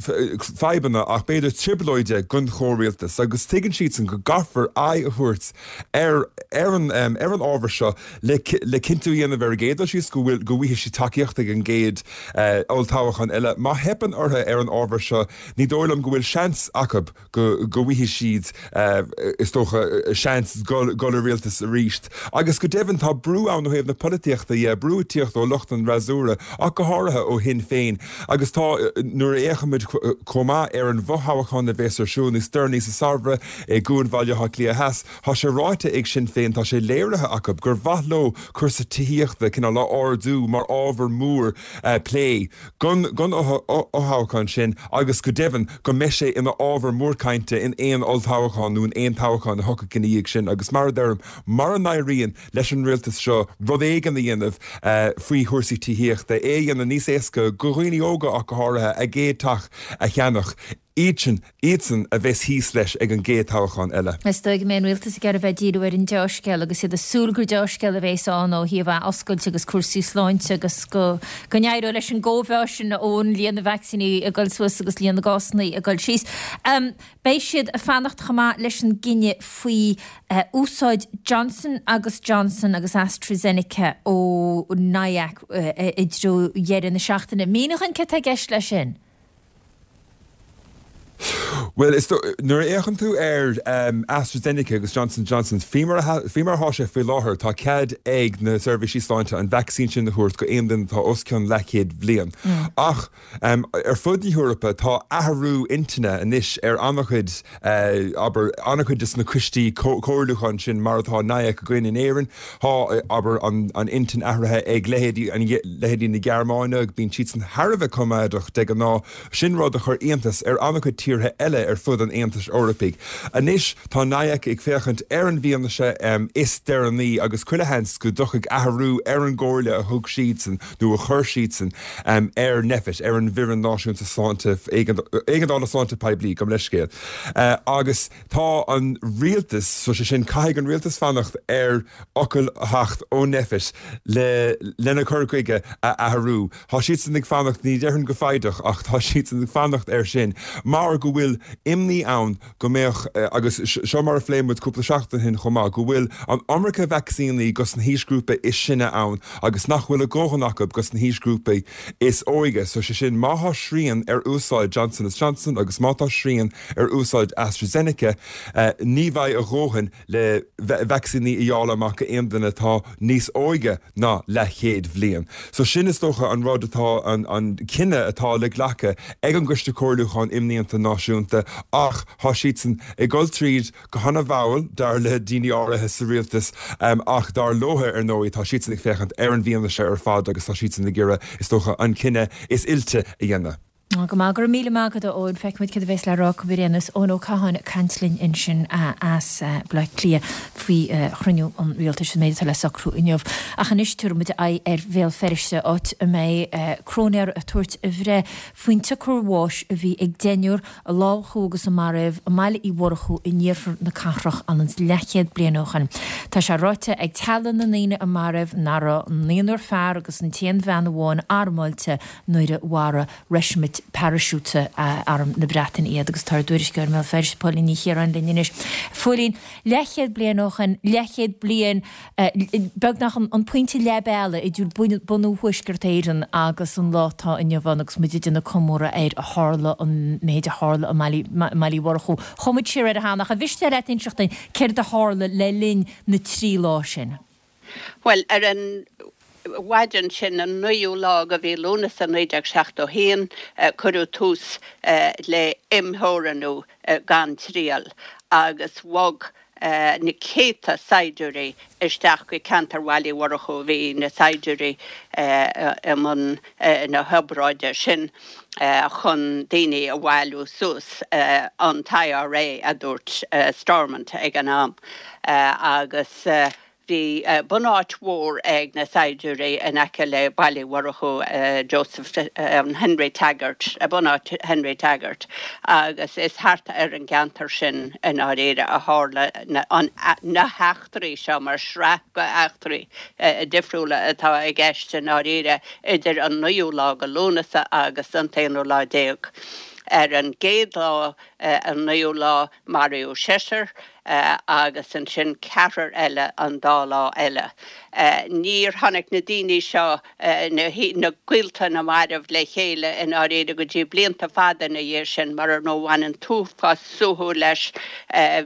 fadhbanna ach b'fhéidir trioblóide don chomhrialtas agus tuigeann siadsan go gcaithfear aghaidh a thabhairt ar ar an ar an ábhar seo le le cinntiú a dhéanamh ar an gcéad dul síos go bhfuil go bhfaighidh siad tacaíocht ag an gcéad olltoghchán eile. Má theipeann orthu ar an ábhar seo ní dóigh liom go bhfuil seans acu go go bhfaighidh siad, is dócha, seans dul i rialtas arís. Agus go deimhin, tá brú ann ó thaobh na polaitíochta dhe, brú ag tíocht ó lucht an fhreasúra, ach go háirithe ó Shinn Féin. Agus tá, nuair a fhéachaimid chomh maith ar an bhfothoghchán a bhéas ar siúl níos deireanaí sa samhradh i gCuan Bhaile Átha Cliath Theas, tá sé ráite ag Sinn Féin, tá sé léirithe acu gur mhaith leo cúrsa tithíochta cineál a ardú mar ábhar mór plé. Don fhothoghchán sin agus go deimhin go mbeidh sé ina ábhar mór cainte in aon olltoghchán nó in aon toghchán a thiocfaidh ina dhiaidh sin agus mar a deirim, mura n-éiríonn leis an rialtas seo rud éigin a dhéanamh faoi chúrsaí tithíochta, é a dhéanamh níos éasca do dhaoine óga ach go háirithe, a gcéad teach a cheannach, iadsan, iadsan a bheas thíos leis ag an gcéad toghchán eile. Is dóigh go mbeidh an rialtas ag iarraidh bheith ag díriú ar an dea-scéal agus iad ag súil gur dea-scéal a bhéas ann ó thaobh athoscailt agus cúrsaí sláinte agus go go n-éireoidh leis an gcóimheá sin ón líon na vacsaíní ag dul suas agus líon na gcásanna ag dul síos. Beidh siad ag fanacht chomh maith leis an gcinneadh faoi úsáid Johnson agus Johnson agus AstraZeneca ó NIAC i dtreo dheireadh na seachtaine. Mínigh dhúinn céard atá i gceist leis sin. Bhuel, is dóigh, nuair a fhéachann tú ar AstraZeneca agus Johnson Johnson, faoi mar a, faoi mar atá sé faoi láthair, tá cead ag na seirbhísí sláinte an vacsaín sin a thabhairt go aon duine atá os cionn leathchéad bhliain. Ach ar fud na hEorpa, tá athrú intinne anois ar an-chuid, abair, an-chuid de na coistí comhairliúcháin sin, mar atá NIAC againn in Éirinn. Tá, abair, an intinn athraithe ag leithéidí, leithéidí na Gearmáine, bíonn siadsan thar a bheith coimeádach de ghnáth. Sin rud a chuir iontas ar an-chuid tíortha eile ar fud an Aontais Eorpaigh. Anois tá NIAC ag féachaint ar an bhfianaise is deireanaí agus chuile sheans go dtiocfaidh athrú ar an gcomhairle a thug siadsan nó a chuir siadsan ar Nphet, ar an bhFoireann Náisiúnta Sláinte, Éigeandála Sláinte Poiblí, gabh mo leithscéal. Agus tá an rialtas, so sé sin caithfidh an rialtas fanacht ar fhocal a theacht ó Nphet le lena cur chuige a athrú. Tá siadsan ag fanacht, ní déarfainn go foighdeach, ach tá siadsan ag fanacht air sin mar go bhfuil imní ann go mbeadh, agus seo mar a phléigh muid cúpla seachtain ó shin chomh maith, go bhfuil an iomarca vacsaíní dos na haoisghrúpaí is sine ann agus nach bhfuil a dhóthain acu dos na haoisghrúpaí is óige. So sé sin, má thá srian ar úsáid Johnson is Johnson agus má tá srian ar úsáid AstraZeneca, ní bheidh a dhóthain le vacsaíní a dháileadh amach go aon duine atá níos óige ná leathchéad bhliain. So sin is dócha an rud atá, an cinneadh atá le glacadh ag an gCoiste Comhairliúcháin Imdhíonta Náisiúnta ach thá siadsan ag dul tríd go hana-mhall, dar le daoine áirithe sa rialtas, ach dar leotha ar ndóigh tá siadsan ag féachaint ar an bhfianaise ar fad agus tá siadsan ag iarraidh, is dócha, an cinneadh is oilte a dhéanamh. Go maith, go raibh míle maith agat a Eoin. Feicfimid céard a bhéas le rá acu ar aon nós. Eoin Ó Catháin ag caint linn ansin as Baile Átha Cliath faoi chruinniú an rialtais, an méid atá le socrú inniu. Ach anois tabharfaidh muid aghaidh ar Bhéal Feirste, áit a mbeidh cróinéar ag tabhairt a bhreith faoin tsiocair bháis a bhí ag deichniúr a lámhachadh agus a maraíodh i mBaile Uí Mhurchú in iarthar na cathrach anonn is leathchéad bliain ó shin. Tá sé ráite ag teaghlaigh na ndaoine a maraíodh nach raibh an naonúr fear agus an t-aon bhean amháin armáilte nuair a mharaigh reisimint paraisiúta Arm na Breataine iad agus tá ár dtuairisceoir i mBéal Feirste, Póilín Ní Chiaráin linn anois. Phóilín, leathchéad bliain ó shin, leathchéad bliain, beagnach an pointe leath bealaigh idir bunú Thuaisceart Éireann agus an lá atá inniu ann agus muid ag déanamh comóradh ar a tharla, an méid a tharla i mBaile Uí Mhurchú. Chuaigh muid siar air cheana ach an mhiste leat inseacht dúinn céard a tharla le linn na dtrí lá sin? Bhuel, ar an mhaidin sin, an 9ú lá de mhí Lúnasa 1971, cuireadh tús le imtheorannú gan triail agus bhog. na céadta saighdiúirí isteach go ceantar Bhaile Uí Mhurchú. Bhí na saighdiúirí i mbun na hobráide sin chun daoine a bhailiú suas, an tIRA a dúirt Stormont ag an am, agus Bhí bunáit mhór ag na saighdiúirí in aice le Baile Uí Mhurchú, Joseph Henry Taggart, bunáit Henry Taggart, agus is thart ar an gceantar sin i ndáiríre a tharla na heachtraí seo, mar sraith d'eachtraí difriúla atá i gceist i ndáiríre idir an naoú lá de Lúnasa agus an t-aonú lá déag. Ar an gcéad lá, an naoú lá, maraíodh seisear, agus ansin ceathrar eile an dá lá eile. Níor tháinig na daoine seo, na gaolta na marbh le chéile i ndáiríre go dtí blianta fada ina dhiaidh sin, mar ar ndóigh bhain an t-uafás suaitheadh leis,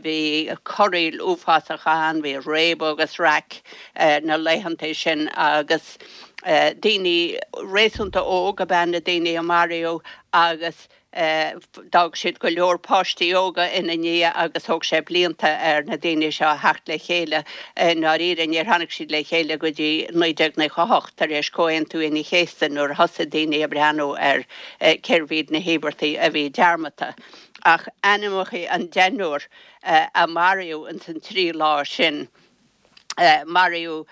bhí corraíl uafásach ann, bhí réabadh agus raic na laethanta sin agus daoine réasúnta óg ab ea na daoine a maraíodh agus D'fhág siad go leor páistí óga ina ndiaidh agus thóg sé blianta ar na daoine seo a theacht le chéile. I ndáiríre, níor tháinig siad le chéile go dtí 1998, tar éis Chomhaontú Aoine an Chéasta, nuair a thosaigh daoine ag breathnú ar cérbh iad na híobartaigh a bhí dearmadta. Ach ainmneacha an deichniúr a maraíodh ins an trí lá sin, Maraíodh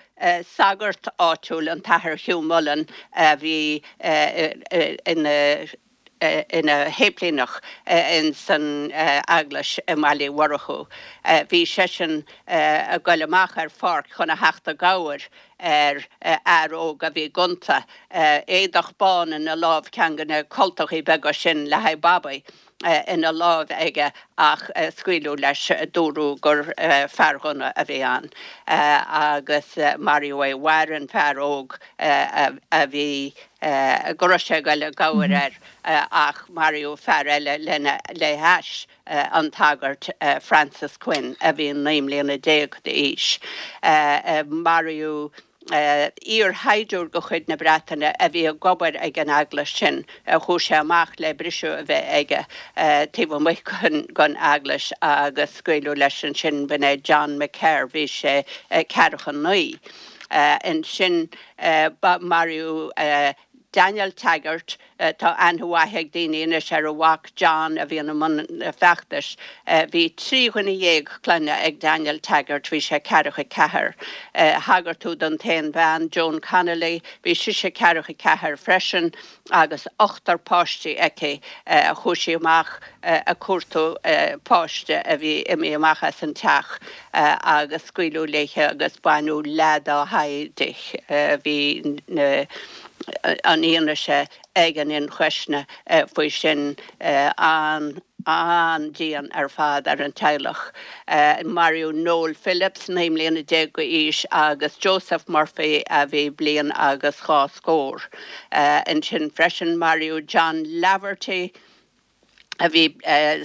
sagart áitiúil, an tAthair Hugh Mullen, a bhí ina ina shéiplíneach ins an eaglais i mBaile Uí Mhurchú. Bhí seisean ag goil amach ar pháirc chun a theacht i gcabhair ar fhear óg a bhí gonta, éadach bán ina lámh, ceann de na cultachaí beaga sin le haghaidh babaí ina láimh aige ach scaoileadh leis, dúradh gur fear gunna a bhí ann agus maraíodh é. Mhair an fear óg a bhí go raibh sé ag goil i gcabhair air ach maraíodh fear eile lena le hais, an tagart Francis Quinn a bhí 19 mbliana d'aois. Maraíodh iar-shaighdiúir de chuid na Breataine a bhí ag obair ag an eaglais sin. Chuaigh sé amach le briseadh a bheith aige taobh amuigh den eaglais agus scaoileadh leis ansin. B'in é John McKerr, bhí sé ceathracha 9. Ansin maraíodh Daniel Taggart, tá aithne mhaith ag daoine anois ar a mhac John a bhíonn i mbun feachtais. Bhí 13 dhuine clainne ag Daniel Taggart, bhí sé ceathracha 4. Thagair tú don t-aon bhean, Joan Connolly, bhí sise ceathracha 4 freisin agus ochtar páistí aici. Chuaigh sí amach ag cuartú páiste a bhí imithe amach as an teach agus scaoileadh léithe agus baineadh leath dá haghaidh di. Bhí an fhianaise ag an ionchoisne faoi sin an-dian ar fad ar an teaghlach. Maraíodh Noel Phillips, 19 mbliana d'aois, agus Joseph Murphy a bhí bliain agus dhá scór. Ansin freisin maraíodh John Laverty, a bhí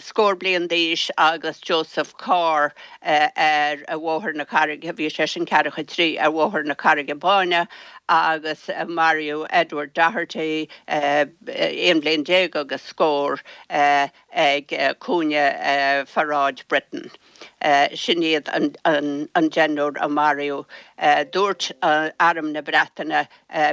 scór bliain d'aois agus Joseph Carr ar Bhóthar na Carraige, bhí seisean ceathracha 3, ar Bhóthar na Carraige Báine agus maraíodh Edward Doherty, 11 bhliain agus scór, ag cúinne Pharáid Britain. Sin iad an deichniúr a maraíodh. Dúirt Arm na Breataine,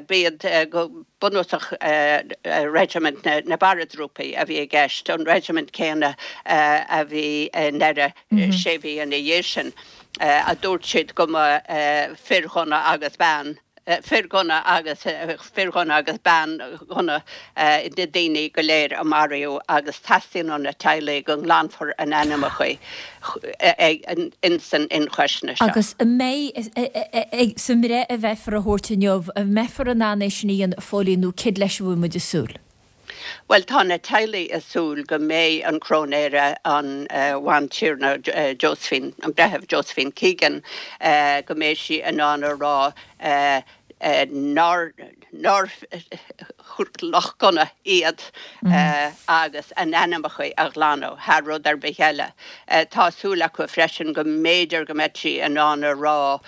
b'iad go bunúsach reisimint na bparatrúpaí a bhí i gceist, an reisimint céanna a bhí i nDoire sé mhí ina dhiaidh sin, a dúirt siad go mba fir ghunna agus bean fir ghunna agus fir ghunna agus bean ghunna na daoine go léir a maraíodh agus teastaíonn ó na teaghlaigh go nglanfar a n-ainmneacha ins an ionchoisne seo. Agus an mbeidh, sa mbreith a bheifear a thabhairt inniu, an mbeifear in ann é sin a dhéanamh a Phóilín nó céard leis a bhfuil muid ag súil? Bhuel, tá na teaghlaigh ag súil go mbeidh an Cróinéara, an Bhantiarna Josephine, an Breitheamh Josephine Keegan, go mbeidh sí in ann a rá nár nár lucht gunna iad agus a n-ainmneacha a ghlanadh thar rud ar bith eile. Tá súil acu freisin go mb'fhéidir go mbeidh sí in ann a rá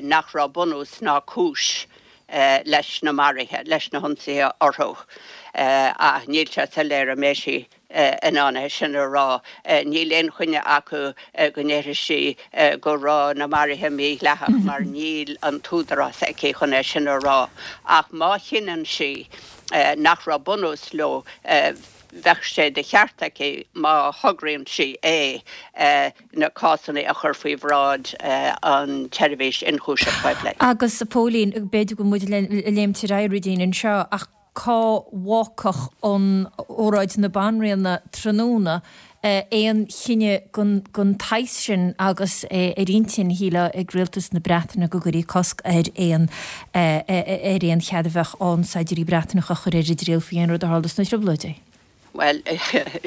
nach raibh bunús ná cúis leis na maruithe, leis na hionsaithe orthu. Ach níl sé soiléir an mbeidh sí. in ann é sin a rá. Níl aon choinne acu go ndéarfaidh sí go raibh na maruithe mídhleathach mar níl an t-údarás aici chun é sin a rá. Ach má chinneann sí nach raibh bunús leo, bheadh sé de cheart aici, má thograíonn sí é, na cásanna a chur faoi bhráid an tSeirbhís Ionchúiseamh Poiblí. Agus, a Phóilín, b'fhéidir go bhfuil muid ag léimt ar aghaidh ruidín anseo, ach cá bhfágfadh an óráid na Banríona tráthnóna aon chinneadh den tsaghas sin agus é ar intinn, shílfeá, ag rialtas na Breataine go gcuirfí cosc ar aon ar aon chead a bheadh ann saighdiúirí Breatanacha a chur ar a dtriail faoi aon rud a tharla sna Trioblóidí? Bhuel,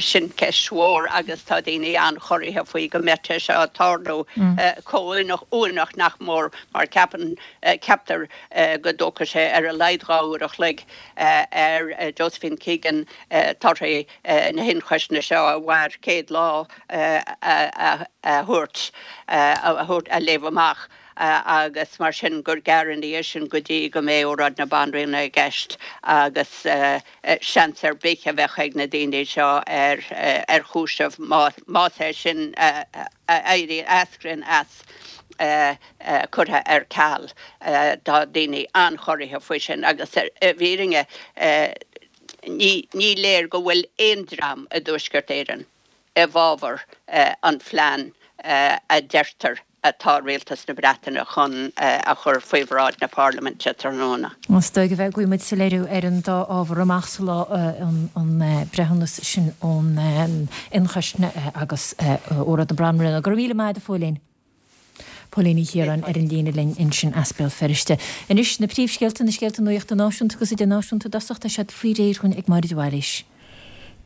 sin ceist mhór agus tá daoine an-chorraithe faoi go mbeadh sé seo ag tarlú chomh uaigneach nach mór mar ceapann, ceaptar go dtógfaidh sé ar a laghad 2 uair a chloig ar Josephine Keegan torthaí na hionchoisne seo a mhair 100 lá a thabhairt, a léamh amach agus mar sin gur gearr ina dhiaidh sin go dtí go mbeidh óráid na Banríona i gceist agus seans ar bith a bheadh ag na daoine seo ar chúiseamh más é sin a éiríonn, a eascraíonn as curtha ar ceal. Tá daoine an-chorraithe faoi sin agus i bhfírinne ní léir go bhfuil aon dream i dTuaisceart Éireann i bhfabhar an phlean a deirtear atá Rialtas na Breataine chun a chur faoi bhráid na Parlaiminte tráthnóna. Is dóigh go bhfaighidh muid soiléiriú ar an dá ábhar amach sa lá, an breithiúnas sin ón ionchoisne agus óráid na Banríona. Go raibh míle maith agat, a Phóilín. Póilín Ní Chiaráin ar an líne linn ansin as Béal Feirste. Anois, na príomhscéalta, na scéalta nuachta náisiúnta agus idirnáisiúnta i dtosach, tá siad faoi réir dhúinn ag Máire de Bhailís.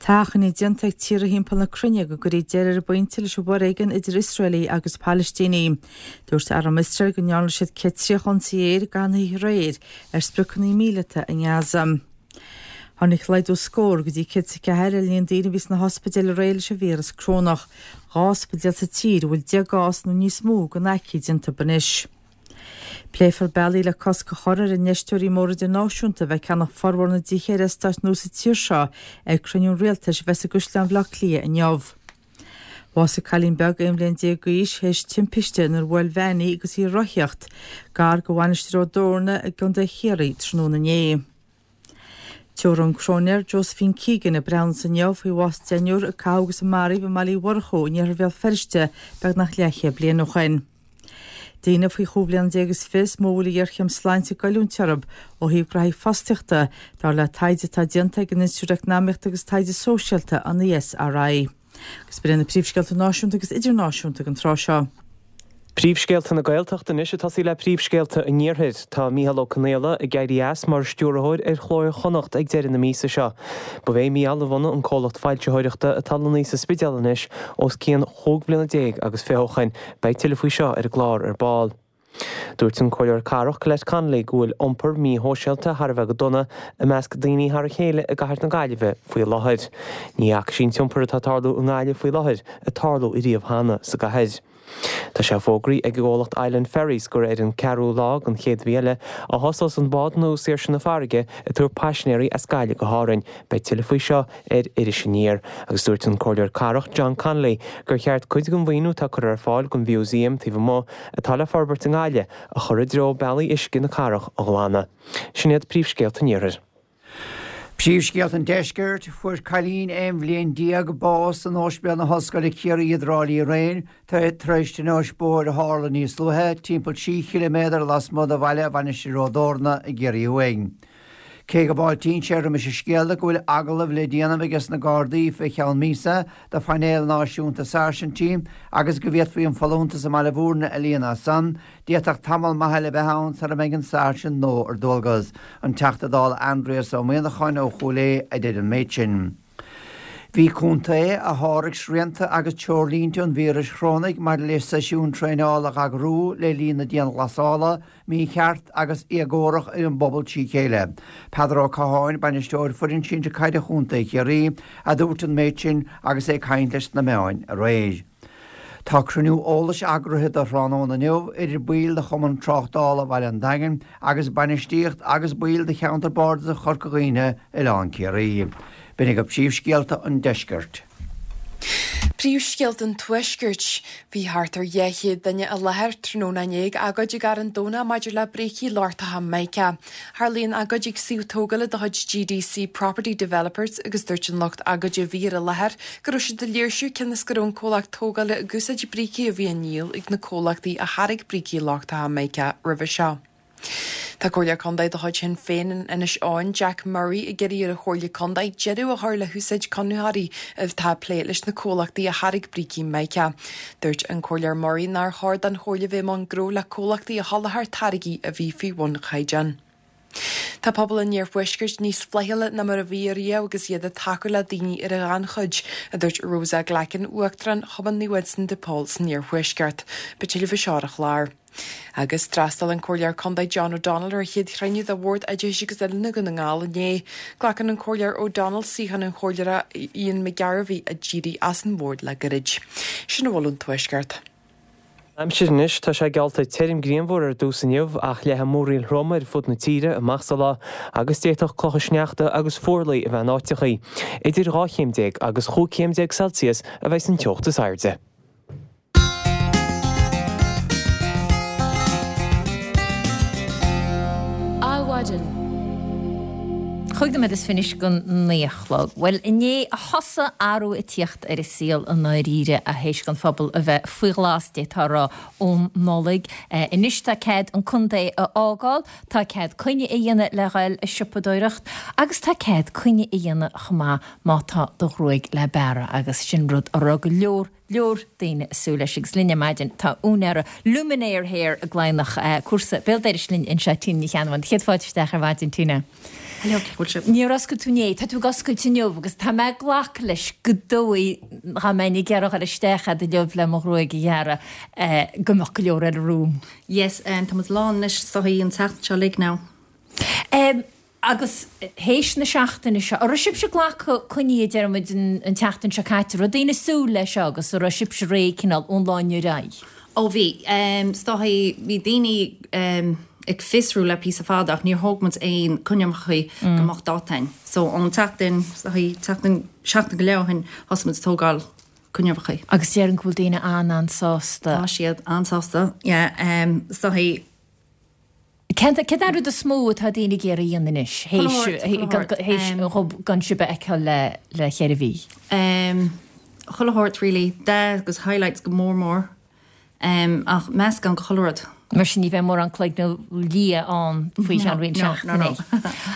Tá achainí déanta ag tíortha thimpeall na cruinne go gcuirfí deireadh ar an bpointe leis an bhforéigean idir Iosraelaigh agus Palaistínigh. Dúirt arm Iosrael go ndearna siad 130 ionsaí aeir i gcaitheamh na hoíche aréir ar spriocanna míleata i nGaza. Tháinig laghdú scór go dtí 104 ar an líon daoine a bhí sna hospidéil aréir leis an víreas corónach. 12 ospidéal sa tír a bhfuil 10 gcás nó níos mó den aicíd iontu anois. Pléifear bealaí le cosc a chur ar infheisteoirí móra idirnáisiúnta a bheith ag ceannach formhór na dtithe ar eastáit nua sa tír seo ag cruinniú an Rialtais a bheas i gCaisleán Bhaile Átha Cliath inniu. Bhásaigh cailín beag 11 bhliain d'aois théis timpiste inar bhuail veain í agus í ag rothaíocht gar do Mhainistir Ó dTorna i gContae Chiarraí tráthnóna inné. Tabharfaidh an Cróinéir Josephine Keegan a breithiúnas inniu faoi bhás deichniúr a caitheadh agus a maraíodh i mBaile Uí Mhurchú in iarthar Bhéal Feirste beagnach leathchéad bliain ó shin. Daoine faoi chúig bhliana déag is fiche is mó a bhfuil an ghéarchéim sláinte ag goilliúint orthu ó thaobh graithí fostaíochta, dar le taighde atá déanta ag an Institiúid Eacnamaíochta agus Taighde Sóisialta, an ESRI. Agus b'in iad na príomhscéalta náisiúnta agus idirnáisiúnta ag an tráth seo. Príomhscéalta na Gaeltachta anois ag tosaí le príomhscéalta an Iarthair. Tá Mícheál Ó Conghaile ag éirí as mar stiúrthóir ar Chló Iar-Chonnacht ag deireadh na míosa seo. Ba é Mícheál a bhunaigh an comhlacht foilsitheoireachta atá lonnaithe sa Spidéal anois os cionn chúig bhliana déag agus fiche ó shoin. Beidh tuilleadh faoi seo ar an gclár ar ball. Dúirt an Comhairleoir Cathrach Colette Connolly go bhfuil iompar míshóisialta thar a bheith go dona i measc daoine thar a chéile i gcathair na Gaillimhe faoi láthair. Ní fhaca sí an t-iompar atá ag tarlú i nGaillimh faoi láthair ag tarlú ariamh cheana sa gcathair. Tá sé fógraithe ag an gcomhlacht Island Ferries gur ar an 4ú lá den chéad mhí eile a thosós an bád nua Saoirse na Farraige ag tabhairt paisinéirí as Gaillimh go hÁrainn. Beidh tuilleadh faoi seo ar Iris Aniar agus dúirt an Comhairleoir Cathrach John Connolly gur cheart cuid den mhaoiniú atá curtha ar fáil don mhúsaem taobh amuigh atá le forbairt i nGaillimh a chur i dtreo bealaí uisce na cathrach a ghlanadh. Sin iad príomhscéalta an Iarthair. Príomhscéalta an Deiscirt, Fuair cailín 11 bhliain bás in Ospidéal na hOllscoile Ciarraí i dTrá Lí aréir tar éis tionóisc bóthair a tharla níos luaithe, timpeall 3 chiliméadar lasmuigh de bhaile Mhainistir Ó dTorna i gCiarraí Thuaidh. Cé go bhfáiltíonn sé roimis an scéala go bhfuil agallamh le déanamh aige sna Gardaí fé cheann míosa do phainéal náisiúnta sáirsintí agus go bhféadfaí an folúntas i mBaile Bhúirne a líonadh as san, d'fhéadfadh tamall maith eile a bheith ann sara mbeidh an sáirsint nua ar dualgas. An Teachta Dála Aindrias Ó Muíneacháin ó Chúil Aodha a deir an méid sin. Bhí contae a sháraigh srianta agus treoirlínte an víris chorónaigh maidir le seisiúin traenála a dh'eagrú le linn na dianghlasála, mícheart agus éagórach ar an bpobal trí chéile. Peadar Ó Catháin, Bainisteoir Foireann Sinsir Caide Chontae Chiarraí, a dúirt an méid sin agus é ag caint leis na meáin aréir. Tá cruinniú eolais eagraithe do thráthnóna inniu idir baill de Chumann Tráchtála Bhaile an Daingin agus bainistíocht agus baill de Cheantar Bardasach Chorca Dhuibhne, Oileán Ciarraí. B'in agaibh príomhscéalta an deiscirt. Príomhscéalta an Tuaiscirt. Bhí thart ar 200 duine i láthair tráthnóna inné ag agóid i gCarn Domhnach maidir le brící lochtacha Mica. Tharlaigh an agóid ag suíomh tógála de chuid GDC Property Developers agus dúirt an lucht agóide a bhí ar an láthair go raibh siad ag léirsiú cionn is go raibh an comhlacht tógála ag úsáid brící a bhí á ndíol ag na comhlachtaí a tháirg brící lochtacha Mica roimhe seo. Tá Comhairleoir Contae de chuid Shinn Féin in Inis Eoghain, Jack Murray, ag iarraidh ar an Chomhairle Contae deireadh a chur le húsáid conraitheoirí atá ag plé leis na comhlachtaí a tháirg brící Mica. Dúirt an Comhairleoir Murray nár chóir don Chomhairle bheith i mbun gnó le comhlachtaí a sholáthair táirgí a bhí faoi bhun chaighdeán. Tá pobal an iarthuaiscirt níos flaithiúla ná mar a bhí ariamh agus iad ag tacú le daoine ar an ghannchuid, a dúirt Rosa Glackin, Uachtarán Chumann Naomh Uinseann de Pól san Iarthuaisceart. Beidh tuilleadh faoi seo ar an chlár. Agus d'fhreastail an Comhairleoir Contae John O'Donnell ar a chéad chruinniú de Bhord Oideachais agus Oiliúna Dhún na nGall inné. Glacann an Comhairleoir O'Donnell suíochán an Chomhairleora Ian McGarvey a d'éirigh as an bhord le gairid. Sin a bhfuil ón Tuaisceart. Aimsir anois, tá sé geallta tirim grianmhar ar dtús inniu ach leathfaidh múraíl throm ar fud na tíre amach sa lá agus d'fhéadfadh clocha sneachta agus fuarlaigh a bheith in áiteachaí. Idir 12 chéim agus 15 chéim Celsius a bheidh an teocht is airde. Adhmhaidin. Chúig nóiméad is fiche anois don naoi a chlog. Bhuel, inné a thosaigh athrú ag tíocht ar an saol i ndáiríre théis don phobal a bheith faoi ghlas, d'fhéadfá a rá, ón Nollaig. Anois tá cead an contae a fhágáil, tá cead coinne a dhéanamh le dhul ag siopadóireacht agus tá cead coinne a dhéanamh chomh maith má tá do ghruaig le bearradh agus sin rud a raibh go leor leor daoine ag súil leis agus linn ar maidin tá úinéara Luminaire Hair i gCladhnach, cúrsa béal dorais linn anseo, Tina Ní Cheannabháin. Céad fáilte isteach ar maidin, Tina. Hello, cén chaoi a bhfuil sibh? Níor oscail tú inné, tá tú ag oscailt inniu agus tá mé ag glacadh leis go dóigh dá mbeinn ag iarraidh dhul isteach a'd inniu le mo ghruaig a ghearradh go mbeadh go leor eile romham. Yes, tá muid lán anois, is dóigh an tseachtain seo uilig now. Agus théis na seachtaine seo, an raibh sibhse ag glacadh coinní, a deir muid, an tseachtain seo caite, an raibh daoine ag súil leis seo agus an raibh sibhse réidh cineál ón lá inniu ar aghaidh? Ó bhí. Is dóigh, bhí daoine ag fiosrú le píosa fada ach níor thóg muid aon coinneacha go mbeadh dáta againn. So ón tseachtain, is dóigh, tseachtain, seachtain go leith ó shin, thosaigh muid ag tógáil coinneacha. Agus déarfainn go bhfuil daoine an-an-sásta. Tá siad an-sásta, yeah. Is dóigh. Céard é an rud is mó atá daoine ag iarraidh a dhéanamh anois, théis gan sibh a fheiceáil le cheithre mhí? Chuile shórt really, dath agus highlights go mór mór, ach meascán de chuile rud. Mar sin ní bheidh mórán cloigne liath ann faoi cheann roinnt seachtainí.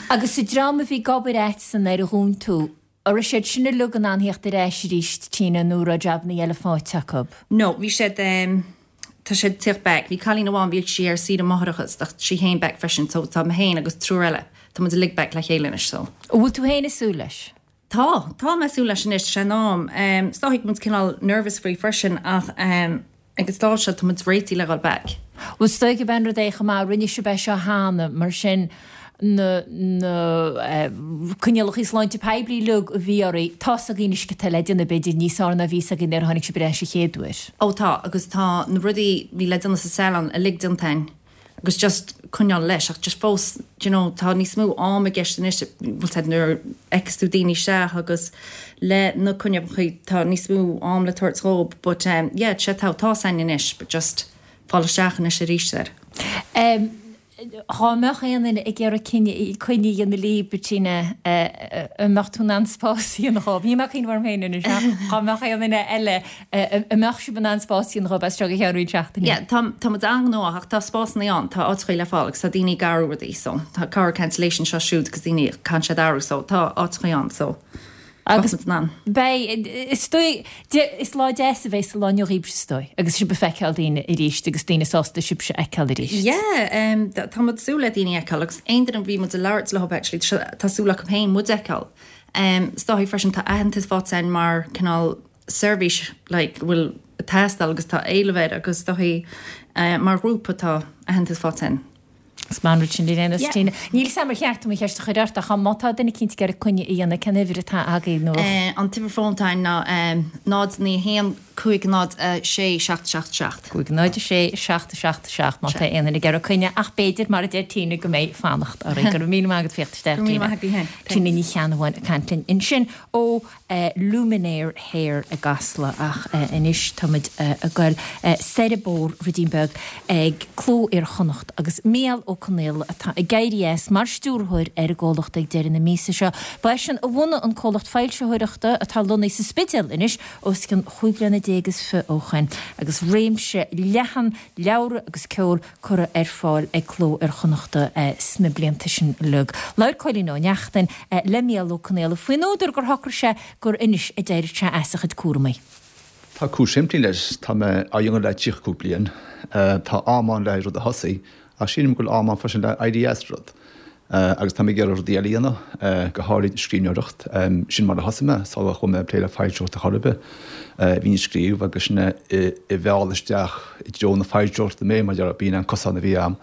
Agus an dream a bhí ag obair a'dsan ar a dhún tú, An raibh siad sin uilig in ann theacht ar ais arís, Tina, nó an raibh jabannaí eile faighte acu? No, bhí siad, tá siad ag tíocht back. Bhí cailín amháin, bhí sí ar saoire máithreachais, tá sí féin back freisin, so tá mé féin agus triúr eile, tá muid uilig back le chéile anois, so. An bhfuil tú féin ag súil leis? Tá, tá mé ag súil leis anois, tá sé in am. Is dóigh go bhfuil muid cineál nervous faoi freisin ach, Ag an stáid seo tá muid réitithe le dhul back. Bhuel, is dóigh gurb é an rud é chomh maith, rinne sibh é seo cheana, mar sin na na coinníollacha sláinte poiblí uilig a bhí oraibh, tá's againn anois cad tá le déanamh, b'fhéidir níos fearr ná bhí 'fhios againn nuair a tháinig sibh ar ais an chéad uair. Ó tá, agus tá na rudaí bhí le déanamh sa salon uilig déanta againn. agus just coinneáil leis ach just fós do you know tá níos mó am i gceist anois bhfuil 's a'd nuair a fheiceas tú daoine isteach agus le na coinneacha tá níos mó am le tabhairt dhób but um yeah tá tá 's a'inn anois but just fáil isteach anois arís air. Um dhá mbeadh aon duine ag iarraidh coinne a dhéanamh libh Tina an mbeadh tú in ann spás a dhéanamh dhóibh? Níl mé ag cuimhneamh orm féin anois ach dhá mbeadh aon duine eile An mbeadh sibh in ann spás a dhéanamh dhóibh as seo go ceann roinnt seachtainí? Yeah, tá, tá muid an-ghnóthach ach tá spásanna ann, tá áiteachaí le fáil agus tá daoine ag athrú rudaí so tá corr cancellation seo siúd agus daoine caitheann siad athrú so tá áiteachaí ann so Agus muid in ann. Beidh, is dóigh, is lá deas a bheidh sa lá inniu dhaoibhse is dóigh agus sibh ag feiceáil daoine arís agus daoine sásta sibhse a fheiceáil arís. Yeah, um, tá muid ag súil le daoine a fheiceáil agus aon duine a bhí muid ag labhairt leo actually tá súil acu féin muid a fheiceáil. Um, is dóigh freisin tá aitheantas faighte againn mar cineál seirbhís like go bhfuil ag teastáil agus tá éileamh air agus is dóichí mar ghrúpa tá aitheantas faighte againn. Is maith an rud sin ar aon nós Tina. Níl 'fhios a'm ar cheart dom an cheist a chur ort ach má tá duine eicínt ag iarraidh coinne a dhéanamh cén uimhir atá agaibh nó. An t-uimhir fón atá againn ná 0 9 1. 5 0 6 7 7 7. 5 0 6 7 7 7 má tá aon duine ag iarraidh coinne ach b'fhéidir, mar a deir Tina, go mbeidh fanacht orainn. Go raibh míle maith agat as theacht isteach, Go raibh míle maith agat féin. Tina Ní Cheannabháin ag caint linn ansin ó Luminaire Hair i gCasla ach anois táimid ag goil soir an bóthar ruidín beag ag Cló Iar-Chonnacht agus Mícheál Ó Conaola atá ag éirí as mar stiúrthóir ar an gcomhlacht ag deireadh na míosa seo. Ba eisean a bhunaigh an comhlacht foilsitheoireachta atá lonnaithe sa Spidéal anois os cionn chúig bliana déag is fi ó shoin agus réimse leathan leabhra agus ceoil curtha ar fáil ag Cló Iar-Chonnachta sna blianta sin uilig. Labhair Cóilín Ó Neachtain le Mícheál Ó Conaola faoin údar gur shocraigh sé gur anois a d'éireodh sé as a chuid cúramaí. Tá cúis shimplí leis, tá mé á dhéanamh le 35 bliain, tá am ann le haghaidh rud a thosaí, ach sílim go bhfuil am ann freisin le éirí as rud. Agus tá mé ag iarraidh rudaí eile a dhéanamh, go háirid scríbhneoireacht. Sin mar a thosaigh mé, sula chuaigh mé ag plé le foilsitheoireacht ar chor ar bith. Bhínn ag scríobh agus sin é a mheall isteach i dtreo na foilsitheoireachta mé, mar b'in an cosán a bhí a'm.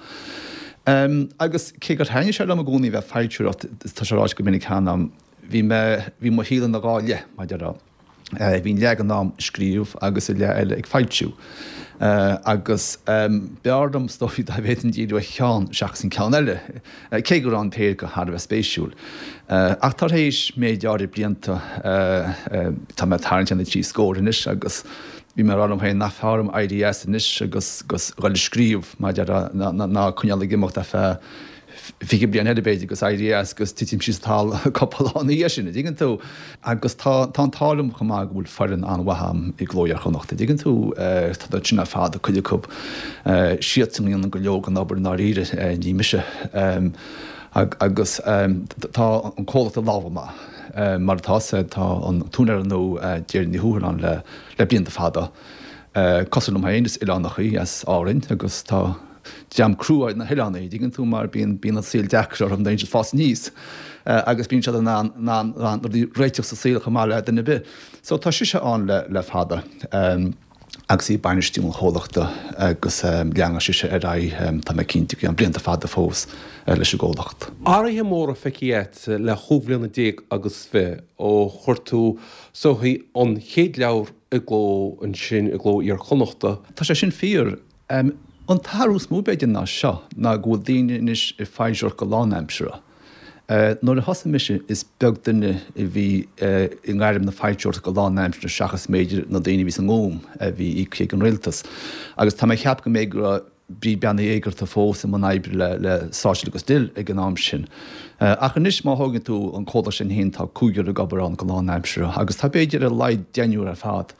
Agus cé gur thaitnigh sé liom i gcónaí a bheith ag foilsitheoireacht, tá sé ráite go minic cheana a'm, bhí mé, bhí mo shaol ina dhá leith, mar a déarfá. Bhínn leath den am ag scríobh agus an leath eile ag foilsiú. Agus b'fhearr liom is dóigh dá bhféadfainn díriú ar cheann seachas an ceann eile, cé go raibh an péire acu thar a bheith spéisiúil. Ach tar éis méid áirid blianta, tá mé ag tarraingt ar na trí scór anois agus bhí mé ag rá liom féin nach fearr dom éirí as anois agus dhul ag scríobh, mar a déarfá, ná coinneáil ag imeacht ar feadh 20 bliain eile b'fhéidir agus éirí as agus titim síos an talamh cúpla lá ina dhiaidh sin, an dtuigeann tú. Agus tá tá an t-ádh liom chomh maith go bhfuil foireann an-mhaith a'm i gCló Iar-Chonnacht, an dtuigeann tú, tá siad sin ar fad, cuid acu, siadsan a dhéanann go leor den obair i ndáiríre, ní mise. Agus tá an comhlacht i lámha maith. Mar atá 'fhios a'd, tá an t-úinéir nua, Deirdre Ní Thuathail ann le le blianta fada. Cosúil liom féin, is oileánach í as Árainn agus tá Dream crua iad na hoileánaigh, an dtuigeann tú, mar bíonn, bíonn an saol deacair orthu nuair a bhíonn siad ag fás aníos agus bíonn siad in ann, in ann, in ann rudaí a réiteach sa saol chomh maith le duine ar bith. So tá sise ann le, le fada agus í ag bainistiú an chomhlachta agus leanfaidh sise ar aghaidh, tá mé cinnte, go ceann blianta fada fós leis an gcomhlacht. Athruithe móra feicthe agat le chúig bhliana déag agus fiche ó chuir tú is dóichí an chéad leabhar i gcló ansin i gCló Iar-Chonnachta. Tá sé sin fíor. An t-athrú is mó b'fhéidir ná seo, ná go bhfuil daoine anois ag foilsitheoireacht go lánaimseartha. Nuair a thosaigh mise is beag duine a bhí i ngairm na foilsitheoireachta go lánaimseartha seachas b'fhéidir na daoine a bhí sa nGúm a bhí íoctha ag an rialtas. Agus tá mé ag ceapadh go mb'fhéidir go raibh Bríd Bean Uí Éigeartaigh fós i mbun oibre le le Sáirséal agus Dill ag an am sin. Ach anois má thógann tú an comhlacht sin féin tá cúigear ag obair ann go lánaimseartha agus tá b'fhéidir ar a laghad deichniúr ar fad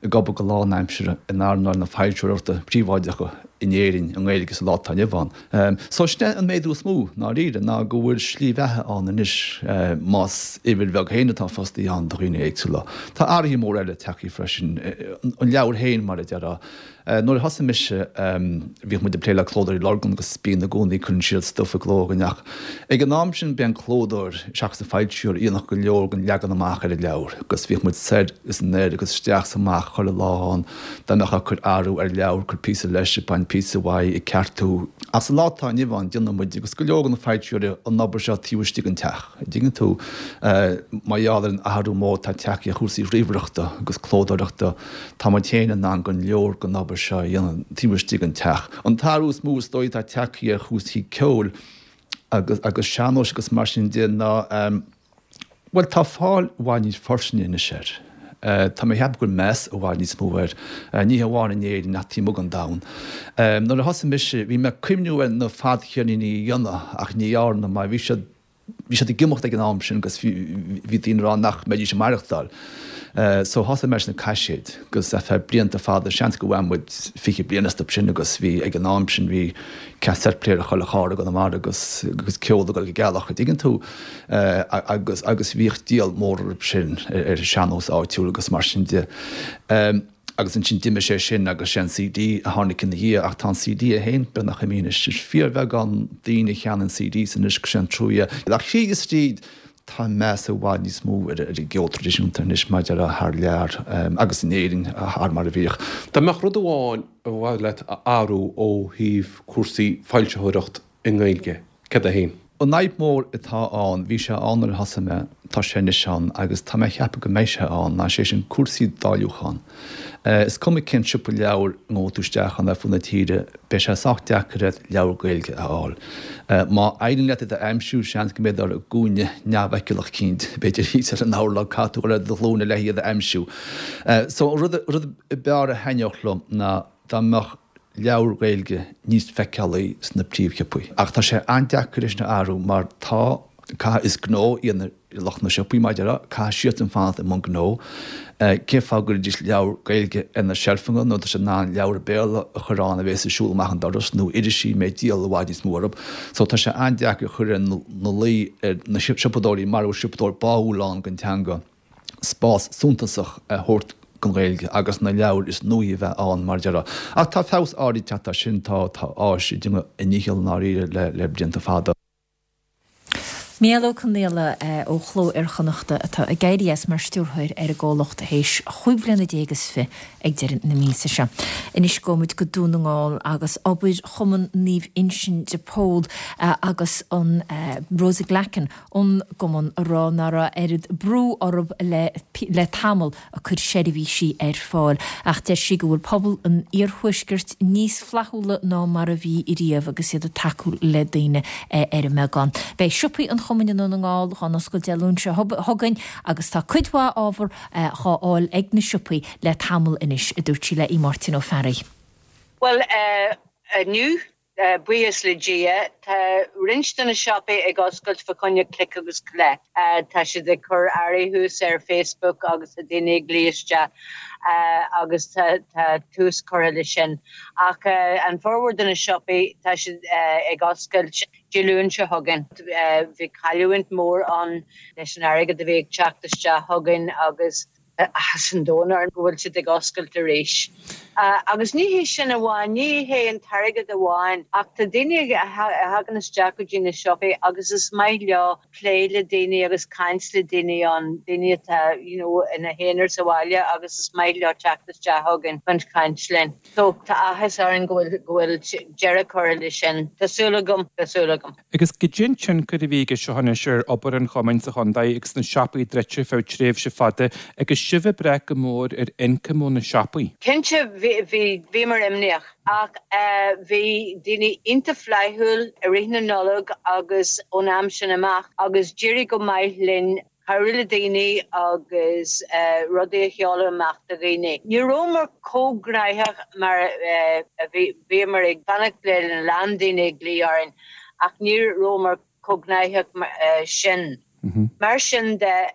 ag obair go lánaimseartha in earnáil na foilsitheoireachta príobháideacha in Éirinn i nGaeilge sa lá atá inniu ann. So sin é an méadú is mó, i ndáiríre, ná go bhfuil slí bheatha ann anois, más uimhir bheag féin atá fostaithe ann do dhaoine éagsúla. Tá athruithe móra eile tagtha freisin, an leabhar féin mar a déarfá. Nuair a thosaigh mise, bhíodh muid ag plé le Clódóirí Lurgan agus bíonn i gcónaí, cuireann siad stuif i gcló againn ach ag an am sin b'é an clódóir seachas an foilsitheoir a dhéanfadh go leor den leagan amach ar an leabhar agus bhíodh muid soir is anoir agus isteach is amach chuile lá ann dá mbeifeá ag cur athrú ar leabhar, cur píosa leis, ag baint píosa uaidh, ag ceartú. Ach sa lá atá inniu ann déanann muid agus go leor de na foilsitheoirí an obair seo taobh istigh den teach, an dtuigeann tú, mar gheall ar an athrú mór atá tagtha ar chúrsaí ríomhaireachta agus clódóireachta. Tá muid féin in ann go leor den obair seo a dhéanamh taobh istigh den teach. An t-athrú is mó is dóigh atá tagtha ar chúrsaí ceoil agus agus sean-nóis agus mar sin de ná, bhuel, tá fáil i bhfad níos fairsinge anois air. Tá mé ag ceapadh go bhfuil meas i bhfad níos mó air, ní hamháin in Éirinn ach taobh amuigh den domhan. Nuair a thosaigh mise, bhí mé ag cuimhniú ar na fadcheirníní a dhéanamh ach ní dhearna mar bhí siad, Bhí siad ag imeacht ag an am sin agus bhí daoine ag rá nach mbeidís ag maireachtáil. So thosaigh mé leis na caiséid agus ar feadh blianta fada, seans go bhfuair muid 20 bliain astu sin agus bhí ag an am sin bhí cassette player i chuile charr i gConamara agus agus ceol ag dul go gealach, an dtuigeann tú? Agus agus bhíodh díol mór orthu sin ar an sean-nós áitiúil agus mar sin de. Agus ansin d'imigh sé sin agus sé an CD a tháinig ina dhiaidh ach tá an CD é féin beagnach imithe anois. Is fíorbheagán daoine a cheannaíonn CDs anois agus sé an trua é. Ach thríd is tríd tá meas i bhfad níos mó ar an gceol traidisiúnta anois maidir le thar lear agus in Éirinn thar mar a bhíodh. Dá mbeadh rud amháin ba mhaith leat a athrú ó thaobh cúrsaí foilsitheoireacht i nGaeilge, céard é féin? An fhadhb mhór atá ann, bhí sé ann nuair a thosaigh mé, tá sé anois ann agus tá mé ag ceapadh go mbeidh sé ann, ná sé sin cúrsaí dáiliúcháin. Is cuma cén siopa leabhar a ngabhfaidh tú isteach ann ar fud na tíre, beidh sé sách deacair ort leabhar Gaeilge a fháil. Má éiríonn leat iad a aimsiú, seans go mbeidh siad i gcúinne neamhfheiceálach eicínt, b'fhéidir thíos ar an urlár, caithfidh tú dul ar do ghlúine le hiad a aimsiú. So an rud ab fhearr a thaitneodh liom ná dá mbeadh leabhair Ghaeilge níos feiceálaí sna príomhshiopaí. Ach tá sé an-deacair é sin a athrú mar tá, caithfidh, is gnó iad lucht na siopaí, mar a déarfá, caithfidh siadsan fanacht i mbun gnó. Cén fáth go gcuirfidís leabhar Gaeilge ar na seilfeanna nuair atá siad in ann leabhar Béarla a chur ann a bhéas ag siúl amach an doras nó irisí a mbeidh díol i bhfad níos mó orthu. So tá sé an-deacair a chur ina luí ar na siopadóirí mara bhfuil siopadóir báúil ann don teanga. spás suntasach a thabhairt don Ghaeilge agus na leabhair is nuaí a bheith ann, mar a déarfá. Ach tá feabhas áirid teacht as sin, tá áis ag déanamh a ndícheall i ndáiríre le le blianta fada. Mícheál Ó Conghaile ó Chló Iar-Chonnachta atá ag éirí as mar stiúrthóir ar an gcomhlacht théis chúig bhliana déag is fi ag deireadh na míosa seo. Anois gabhfaidh muid go Dún na nGall agus obair Chumann Naomh Uinseann de Pól agus an Rosa Glackin ón gcumann a rá nach raibh oiread brú orthu le le tamall ag cur seirbhísí ar fáil ach deir sí go bhfuil pobal an iarthuaiscirt níos flaithiúla ná mar a bhí riamh agus iad ag tacú le daoine ar an mbeagán. Beidh siopaí an chumainn i nDún na nGall dhá n-oscailt Dé Luain seo chugainn agus tá cuid mhaith ábhar dhá fháil ag na siopaí le tamall anois, a dúirt sí le Aodh Máirtín Ó Fearraigh. Bhuel, inniu, Buíochas le Dia, tá roinnt de na siopaí ag oscailt fá choinne click agus collect. Tá siad ag cur earraí thuas ar Facebook agus tá daoine ag glaoch isteach agus tá tús curtha leis sin. Ach an formhór de na siopaí, tá siad ag oscailt Dé Luain seo chugainn. Bhí cailliúint mór ann leis an airgead a bhí ag teacht isteach chugainn agus áthas an domhain orainn go bhfuil siad ag oscailt arís. Agus ní hé sin amháin, ní hé an t-airgead amháin, ach tá daoine a thagann isteach go dtí na siopaí agus is maith leo plé le daoine agus caint le daoine ann, daoine atá you know ina n-aonar sa bhaile agus is maith leo teacht isteach chugainn chun caint linn. So tá áthas orainn go bhfuil go bhfuil deireadh curtha leis sin. Tá súil agam, tá súil agam. Agus goidé an tionchar a bhí aige seo anois ar obair an chumainn sa chontae agus na siopaí druidte feadh tréimhse fada agus sibh ag brath go mór ar ioncam ó na siopaí? Cinnte bhí, bhí, bhíomar imníoch ach bhí daoine iontach flaithiúil i rith na Nollag agus ón am sin amach agus d'éirigh go maith linn cabhrú le daoine agus rudaí a sheoladh amach do dhaoine. Ní rabhamar chomh gnaitheach mar a bhí, bhíomar ag fanacht le a lán daoine ag glaoch orainn ach ní rabhamar chomh gnaitheach sin. Mar sin de,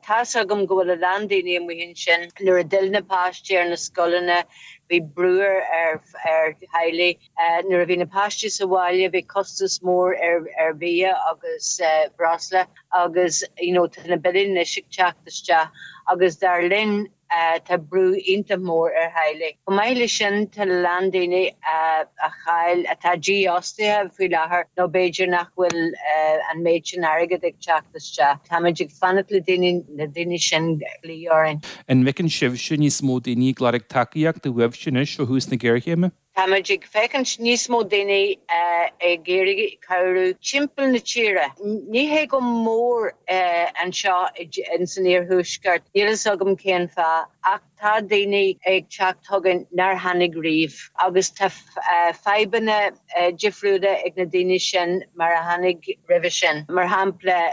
tá's agam go bhfuil a lán daoine amuigh ansin, nuair a d'fhill na páistí ar na scoileanna, bhí brú ar theaghlaigh. Nuair a bhí na páistí sa bhaile bhí costas mór ar bhia agus breosla agus you know tá na billí anois ag teacht isteach agus dar linn tá brú iontach mór ar theaghlaigh. Chomh maith leis sin tá a lán daoine a chaill, atá dífhostaithe faoi láthair nó b'fhéidir nach bhfuil an méid sin airgid ag teacht isteach. Táimid ag fanacht le daoine, na daoine sin glaoch orainn. An bhfeiceann sibhse níos mó daoine ag lorg tacaíochta uaibhse anois ó thús na géarchéime? Táimid ag féachaint níos mó daoine ag iarraidh cabhrú timpeall na tíre. Ní hé go mór anseo ins an iarthuaisceart, níl fhios agam cén fáth, ach tá daoine ag teacht chugainn nár tháinig riamh agus tá fadhbanna difriúla ag na daoine sin mar a tháinig roimhe sin. Mar shampla,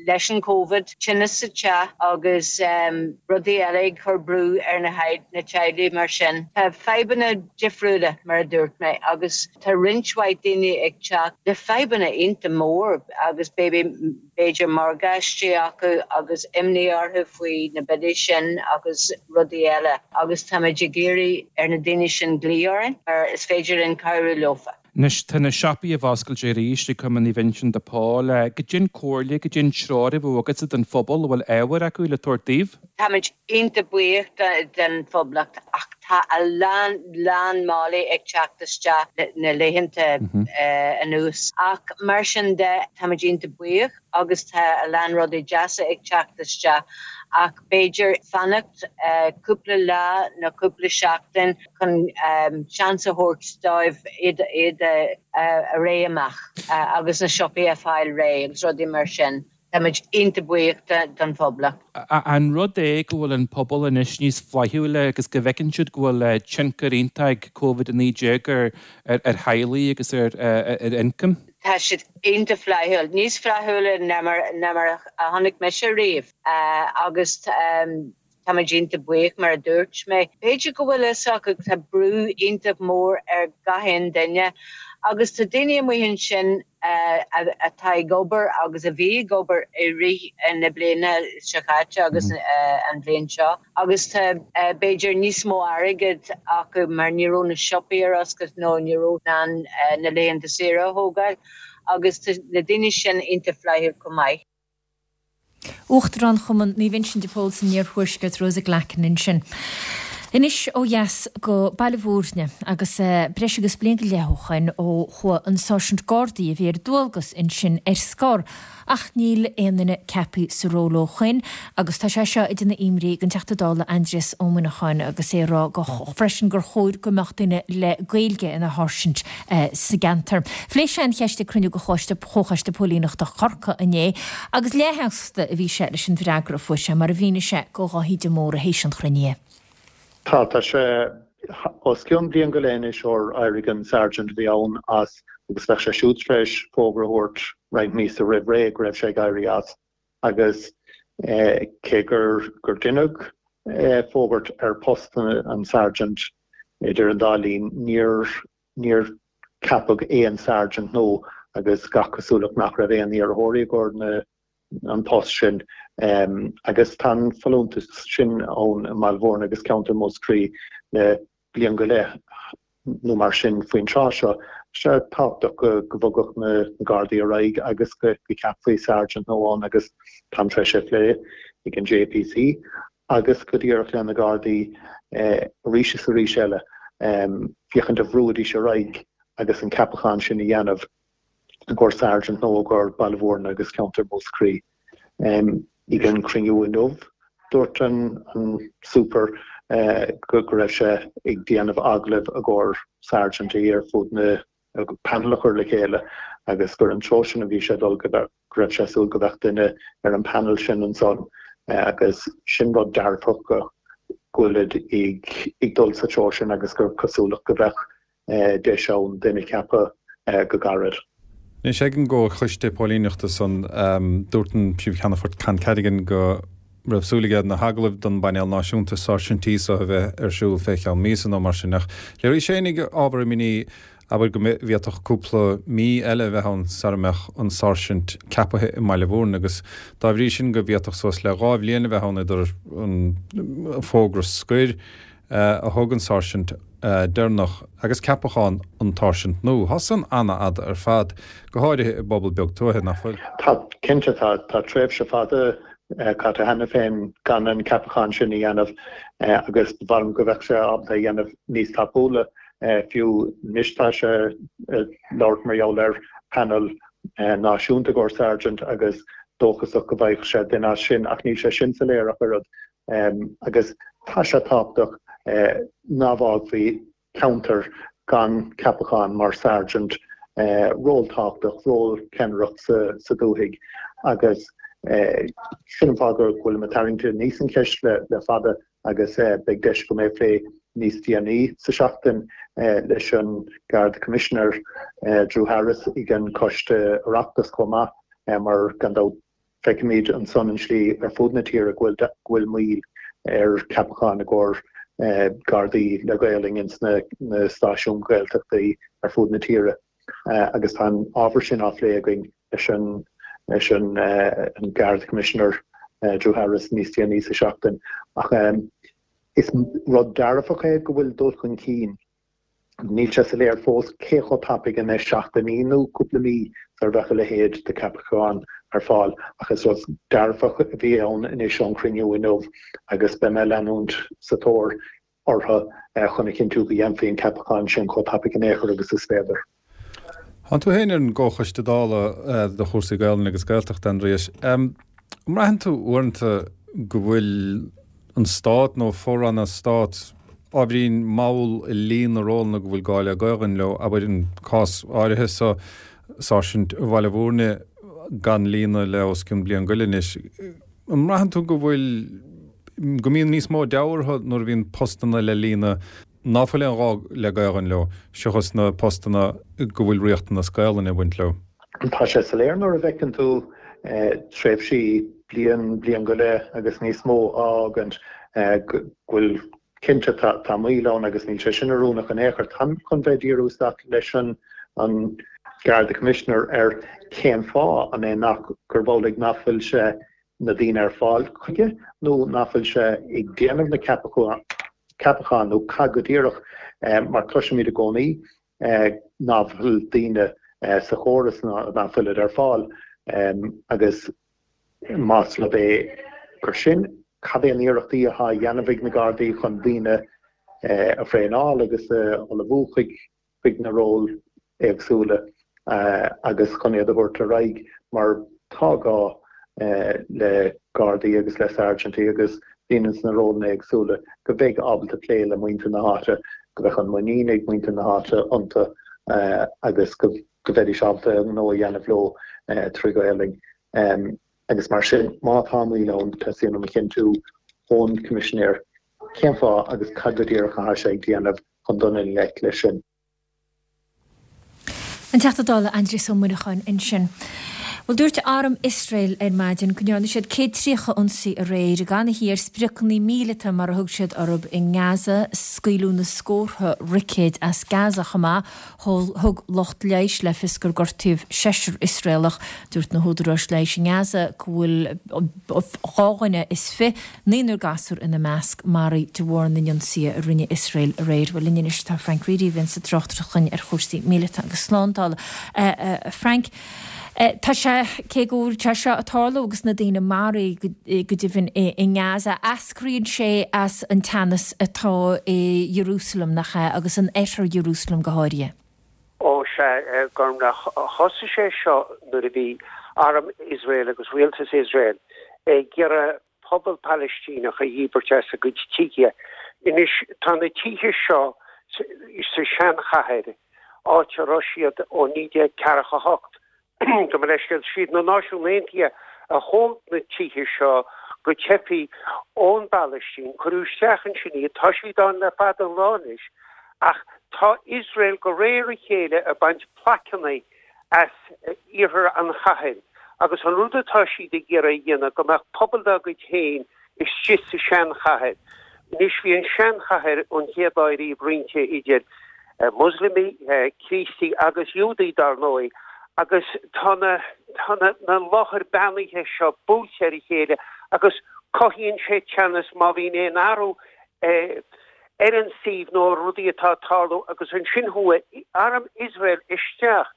leis an Covid, tinneas sa teach agus rudaí eile ag cur brú ar na teaghlaigh mar sin. Tá fadhbanna difriúla, mar a dúirt mé, agus tá roinnt mhaith daoine ag teacht le fadhbanna iontach mór agus b'fhéidir morgáistí acu agus imní orthu faoi na billí sin agus rudaí eile agus táimid ag iarraidh ar na daoine sin glaoch orainn mar is féidir linn cabhrú leofa. Anois, tá na siopaí á bhfoscailt arís ag Cumann Naomh Uinseann de Pól. Goidé an comhairle, goidé an treoir a bheadh agatsa don phobal a bhfuil ábhar acu le tabhairt daoibh? Táimid iontach buíoch den Phoblacht ach. Tá a lán, lán málaí ag teacht isteach na laethanta anuas. Ach mar sin de, táimid iontach buíoch agus tá a lán rudaí deasa ag teacht isteach ach b'fhéidir fanacht cúpla lá nó cúpla seachtain chun seans a thabhairt dóibh iad iad a réidh amach agus na siopaí a fáil réidh agus rudaí mar sin. Táimid iontach buíoch don phoblacht. An rud é go bhfuil an pobal anois níos flaithiúla agus go bhfeiceann siad go bhfuil tionchar iontach ag Covid-19 ar theaghlaigh agus ar ioncaim? Tá siad iontach flaithiúil, níos flaithiúla ná mar a chonaic mise riamh agus Táimid iontach buíoch, mar a dúirt mé. B'fhéidir go bhfuil fhios acu tá brú iontach mór ar gach aon duine agus tá daoine amuigh ansin atá ag obair agus a bhí ag obair i rith na bliana seo caite agus an bhliain seo agus tá b'fhéidir níos mó airgid acu mar ní raibh na siopaí ar oscailt nó ní raibh in ann na laethanta saoire a thógáil agus tá na daoine sin iontach flaithiúil chomh maith. Uachtarán Chumann Naomh Uinseann de Pól san Iarthuaisceart, Rosa Glackin ansin. Anois ó dheas go Baile Bhúirne agus breis agus bliain go leith ó shoin ó chuaigh an Sáirsint Gardaí a bhí ar dualgas ansin ar scor ach níl aon duine ceaptha sa ról ó shoin agus tá sé seo ag déanamh imní don Teachta Dála Aindrias Ó Muineacháin agus é ag rá go freisin gur chóir go mbeadh duine le Gaeilge ina sháirsint sa gceantar. Phléigh sé an cheist ag cruinniú de Chomhchoiste Póilíneachta Chorcaí inné agus leathshásta a bhí sé leis an bhfreagra a fuair sé, mar a mhínigh sé do Dháithí de Mórdha théis an chruinnithe. Tá, tá sé os cionn bliain go leith anois ór éirigh an Sergeant a bhí ann as agus bheadh sé siúd tar éis fógra a thabhairt roinnt míosa roimh ré go raibh sé ag éirí as agus cé gur gur deineadh fógairt ar post an Sergeant idir an dá linn níor Níor ceapadh aon Sergeant nua agus gach cosúlacht nach raibh aon iarrthóirí i gcomhair an post sin agus tá an folúntas sin ann i mBaile Bhúirne agus ceantar Mhúscraí le bliain go leith nó mar sin faoin tráth seo. Tá sé tábhachtach go bhogfadh na Gardaí ar aghaidh agus go gceapfaí Sergeant nua ann agus táim tar éis é a phlé ag an JPC agus go díreach le na Gardaí arís is arís eile féachaint an bhrúfaidís ar aghaidh agus an ceapachán sin a dhéanamh i gcomhair Sergeant nua i gcomhair Baile Bhúirne agus ceantar Mhúscraí. Ag an cruinniú inniu dúirt an Super go raibh sé ag déanamh agallaimh i gcomhair Sergeant ar fud na panel a chur le chéile agus gur an treo sin a bhí sé ag dul, go raibh sé ag súil go mbeadh duine ar an panel sin ansan agus sin rud dearfach go bhfuilid ag dul sa treo sin agus gur cosúlacht go mbeadh deis ann duine a cheapadh go gairid. Anois ag an gComhchoiste Póilíneachta san, dúirt an Príomh-Cheannfort Con Carrigan go raibh súil aige na hagallaimh don bpainéal náisiúnta sáirsintí so a bheith ar siúl fé cheann míosa nó mar sin ach léirigh sé féinig ábhar imní, abair, go bhféadfadh cúpla mí eile a bheith ann sara mbeadh an sáirsint ceapaithe i mBaile Bhúirne agus dá bhrí sin go bhféadfadh suas le 2 bhliain a bheith ann idir an fógra scoir a thug an sáirsint deireanach agus ceapachán an tsáirsint nua. Tá san ana-fhada ar fad, go háirithe i bpobal beag tuaithe, nach bhfuil? Tá, cinnte. Tá tréimhse fada caite cheana féin gan an ceapachán sin a dhéanamh agus ba mhaith liom go mbeadh sé ábalta a dhéanamh níos tapúla fiú. Anois tá sé ag labhairt mar gheall ar panel náisiúnta i gcomhair Sergeant agus dóchasach go bhfaigheadh sé duine as sin ach níl sé sin soiléir ach oiread. Agus tá sé tábhachtach ná fágfaí ceantar gan ceapachán mar Sergeant, ról tábhachtach, ról ceannaireacht sa dúthaigh agus sin an fáth go bhfuilim ag tarraingt aníos an cheist le fada agus beidh deis agam é a phlé níos déanaí sa seachtain leis an Garda Commissioner Drew Harris ag an Coiste Oireachtais chomh maith mar gan dabht Feicimid ansan an tslí ar fud na tíre go bhfuil moill ar cheapacháin i gcomhair Gardaí le Gaolainn ins na stáisiúin Ghaeltachtaí ar fud na tíre agus tá an ábhar sin á phlé againn leis an leis an Garda Commissioner Drew Harris níos déanaí sa seachtain. Ach is rud dearfach é go bhfuil dul chun cinn Níl sé soiléir fós cé chomh tapaidh, an mbeidh seachtainí nó cúpla mí sar a bheadh a leithéid de cheapachán ar fáil, ach is rud dearfach a bhí ann anois ón chruinniú inniu agus beidh mé ag leanúint sa tóir. orthu chun a chinntiú go dhéanfaí an ceapachán sin chomh tapaidh in aon chor agus is féidir. Tánn tú féin ar an gComhchoiste Dála do chúrsaí Gaelainne agus Gaeltachta, Aindrias. An mbraitheann tú uaireanta go bhfuil an Stát nó fo-ranna Stáit ábhairín mall i líonadh na rólanna go bhfuil gá le Gaelainn leo, abair an cás áirithe so, Sáirsint Bhaile Bhúirne gan líonadh le os cionn bliain go leith anois. An mbraitheann tú go bhfuil, go mbíonn níos mó deabhaidh orthu nuair a bhíonn postanna le líonadh ná fuil aon ghá le Gaelainn leo, seachas na postanna go bhfuil riachtanas Gaelainne ag baint leo? Tá sé soiléir nuair a bhfeiceann tú tréimhsí bliain, bliain go leith agus níos mó á fhágaint go bhfuil, cinnte, tá moill ann agus níl sé sin oiriúnach in aon chor. Táim chun bheith ag díriú isteach leis an Garda Commissioner ar cén fáth, an é nach, gurb amhlaidh nach bhfuil sé na daoine ar fáil chuige nó nach bhfuil sé ag déanamh na ceapachán nó cad go díreach, mar cloisimid i gcónaí nach bhfuil daoine sa chóras ná nach bhfuilid ar fáil agus más rud é gur sin, cad é an iarrachtaí atá á dhéanamh ag na Gardaí chun daoine a thraenáil agus a ullmhú chuig chuig na róil éagsúla agus chun iad a thabhairt ar aghaidh mar tá gá le Gardaí agus le Sáirsintí agus daoine sna rólanna éagsúla go mbeidh ábalta plé le muintir na háite, go mbeadh an muinín ag muintir na háite iontu agus go mbeidís ábalta a ngnó a dhéanamh leo trí Ghaelainn. Agus mar sin, má tá moill ann, teastaíonn uaim a chinntiú ón Coimisinéir cén fáth agus cad go díreach atá sé ag déanamh chun dul i ngleic leis sin. An Teachta Dála Aindrias Ó Muineacháin ansin. Bhuel, dúirt Arm Iosrael ar maidin go ndearna siad 130 ionsaí aréir gan a ar spriocanna míleata mar a thug siad orthu i nGaza. Scaoileadh na scórtha roicéid as Gaza chomh maith. Thug lucht leighis le fios gur gortaíodh seisear Iosraelach. Dúirt na húdaráis leighis i nGaza go bhfuil 22, naonúr gasúr ina measc, maraithe de bharr na n-ionsaithe a rinne Iosrael aréir. Bhuel, linn anois tá Frank Reidy, a bhíonns ag tráchtaireacht chugainn ar chúrsaí míleata agus slándála. A Frank, tá sé, cé go bhfuil sé seo ag tarlú agus na daoine maraithe go deimhin i nGaza, eascraíonn sé as an teannas atá i Jerusalem, nach ea, agus in oirthear Jerusalem go háirithe? Ó sea, a Ghormfhlaith, thosaigh sé seo nuair a bhí arm Iosrael agus rialtas Iosrael ag iarraidh pobal Palaistíneach a dhíbirt as a gcuid tithe. Anois, tá na tithe seo sa seanchathair, áit a raibh siad ó 1948, gabh mo leithscéal, siad na Náisiúin Aontaithe a thóg na tithe seo go teifigh ón bPalaistín, cuireadh isteach ansin iad, tá siad ann le fada an lá anois, ach tá Iosrael de réir a chéile ag baint plaiceanna as iarthar an chathair agus an rud atá siad ag iarraidh a dhéanamh go mbeadh pobal dá gcuid féin istigh sa seanchathair. Anois bhí an seanchathair ón chéad lá ariamh roinnte idir Moslamigh, Críostaí agus Iúdaigh dar ndóigh agus tá na tá na na láthair beannaithe seo buailte ar a chéile agus cothaíonn sé teannas má bhíonn aon athrú ar an suíomh nó ar rudaí atá ag tarlú agus ansin chuaigh arm Iosrael isteach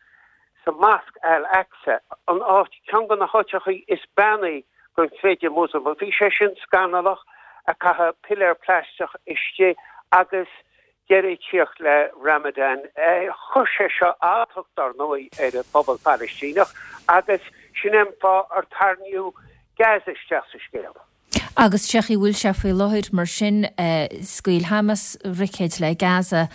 sa Mosque Al-Aqsa, an áit, ceann de na háiteachaí is beannaí don chreideamh Moslamach. Bhí sé sin scannalach, a caitheadh piléar plaisteach istigh agus deireadh ag tíocht le Ramadan. Chuir sé seo alltacht, dar ndóigh, ar an bpobal Palaistíneach agus sin é an fáth ar tarraingíodh Gaza isteach sa scéal. Agus sé chaoi a bhfuil sé faoi láthair, mar sin, scaoil Hamas roicéid le Gaza,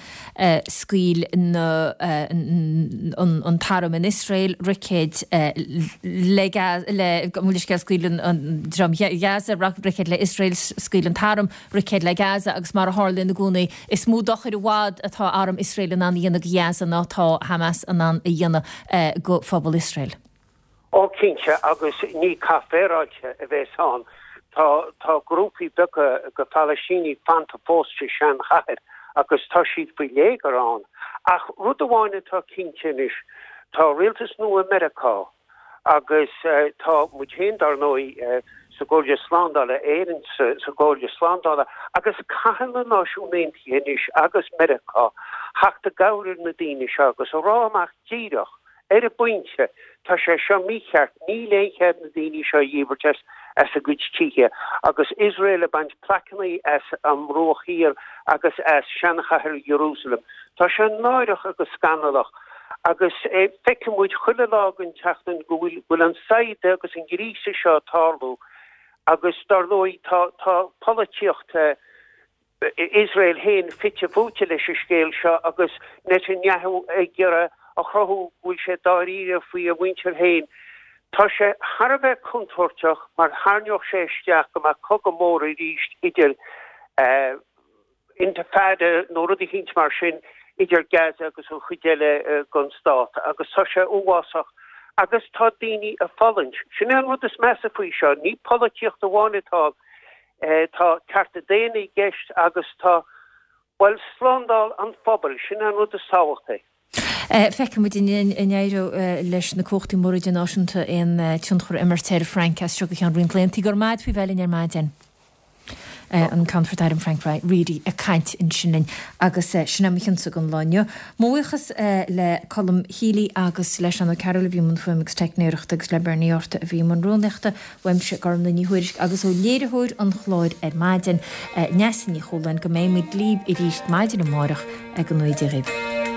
scaoil na, an t-arm in Iosrael roicéid le, le, gabh mo leithscéal, scaoil an dream Ghaza roicéid le Iosrael, scaoil an t-arm roicéid le Gaza agus mar a tharlaíonn i gcónaí, is mó dochair i bhfad atá arm Iosrael in ann a dhéanamh go Ghaza ná atá Hamas in ann a dhéanamh go phobal Iosrael. Ó cinnte, agus ní cath féaráilte a bhéas ann. Tá tá grúpaí beaga de Phalaistínigh fanta fós sa seanchathair agus tá siad faoi léigear ann. Ach rud amháin atá cinnte anois, tá rialtas nua Meiriceá agus tá muid féin dar ndóigh sa gComhairle Slándála, Éirinn sa gComhairle Slándála agus caithfidh na Náisiúin Aontaithe anois agus Meiriceá theacht i gcabhair ar na daoine seo agus a rá amach díreach. Ar an bpointe, tá sé seo mícheart, níl aon chead na daoine seo a dhíbirt as as a gcuid tithe agus Iosrael ag baint plaiceanna as an mBruach Thiar agus as seanchathair Iarúsailéim. Tá sé náireach agus scannalach agus feiceann muid chuile lá den tseachtain go bhfuil go bhfuil an saighdeadh agus an gríosadh seo ag tarlú agus dar ndóigh tá tá polaitíocht Iosrael féin fite fuaite leis an scéal seo agus Netanyahu ag iarraidh a chruthú go bhfuil sé dáiríre faoi a mhuintir féin. Tá sé thar a bheith contúirteach mar tharraingeodh sé isteach go mbeadh cogadh mór arís idir intifada nó rud eicínt mar sin idir Gaza agus an chuid eile den stát agus tá sé uafásach agus tá daoine ag fulaingt. Sin é an rud is measa faoi seo, ní polaitíocht amháin atá ann. Tá cearta daonna i gceist agus tá, bhuel, slándáil an phobail, sin é an rud is tábhachtaí. Feicfidh muid an éireoidh leis na cumhachtaí móra idirnáisiúnta aon tionchar a imirt ar Frank as seo go ceann roinnt laethanta. Go raibh maith agat faoi bheith linn ar maidin. An Ceannfort Airm Frank Reidy ag caint ansin linn agus sin é mo chionsa don lá inniu. Mo bhuíochas le Colm Healy agus le Seán Ó Cearúil a bhí i mbun fuaime agus teicneoireachta agus le Bernie Arthur a bhí i mbun rúnaíochta. Uaimse, Gormlaith Ní Thuairisg, agus ó léiritheoir an chláir ar maidin, Neasa Ní Chualáin, go mbeidh muid libh arís maidin amárach, go ngnóthaí Dia dhaoibh.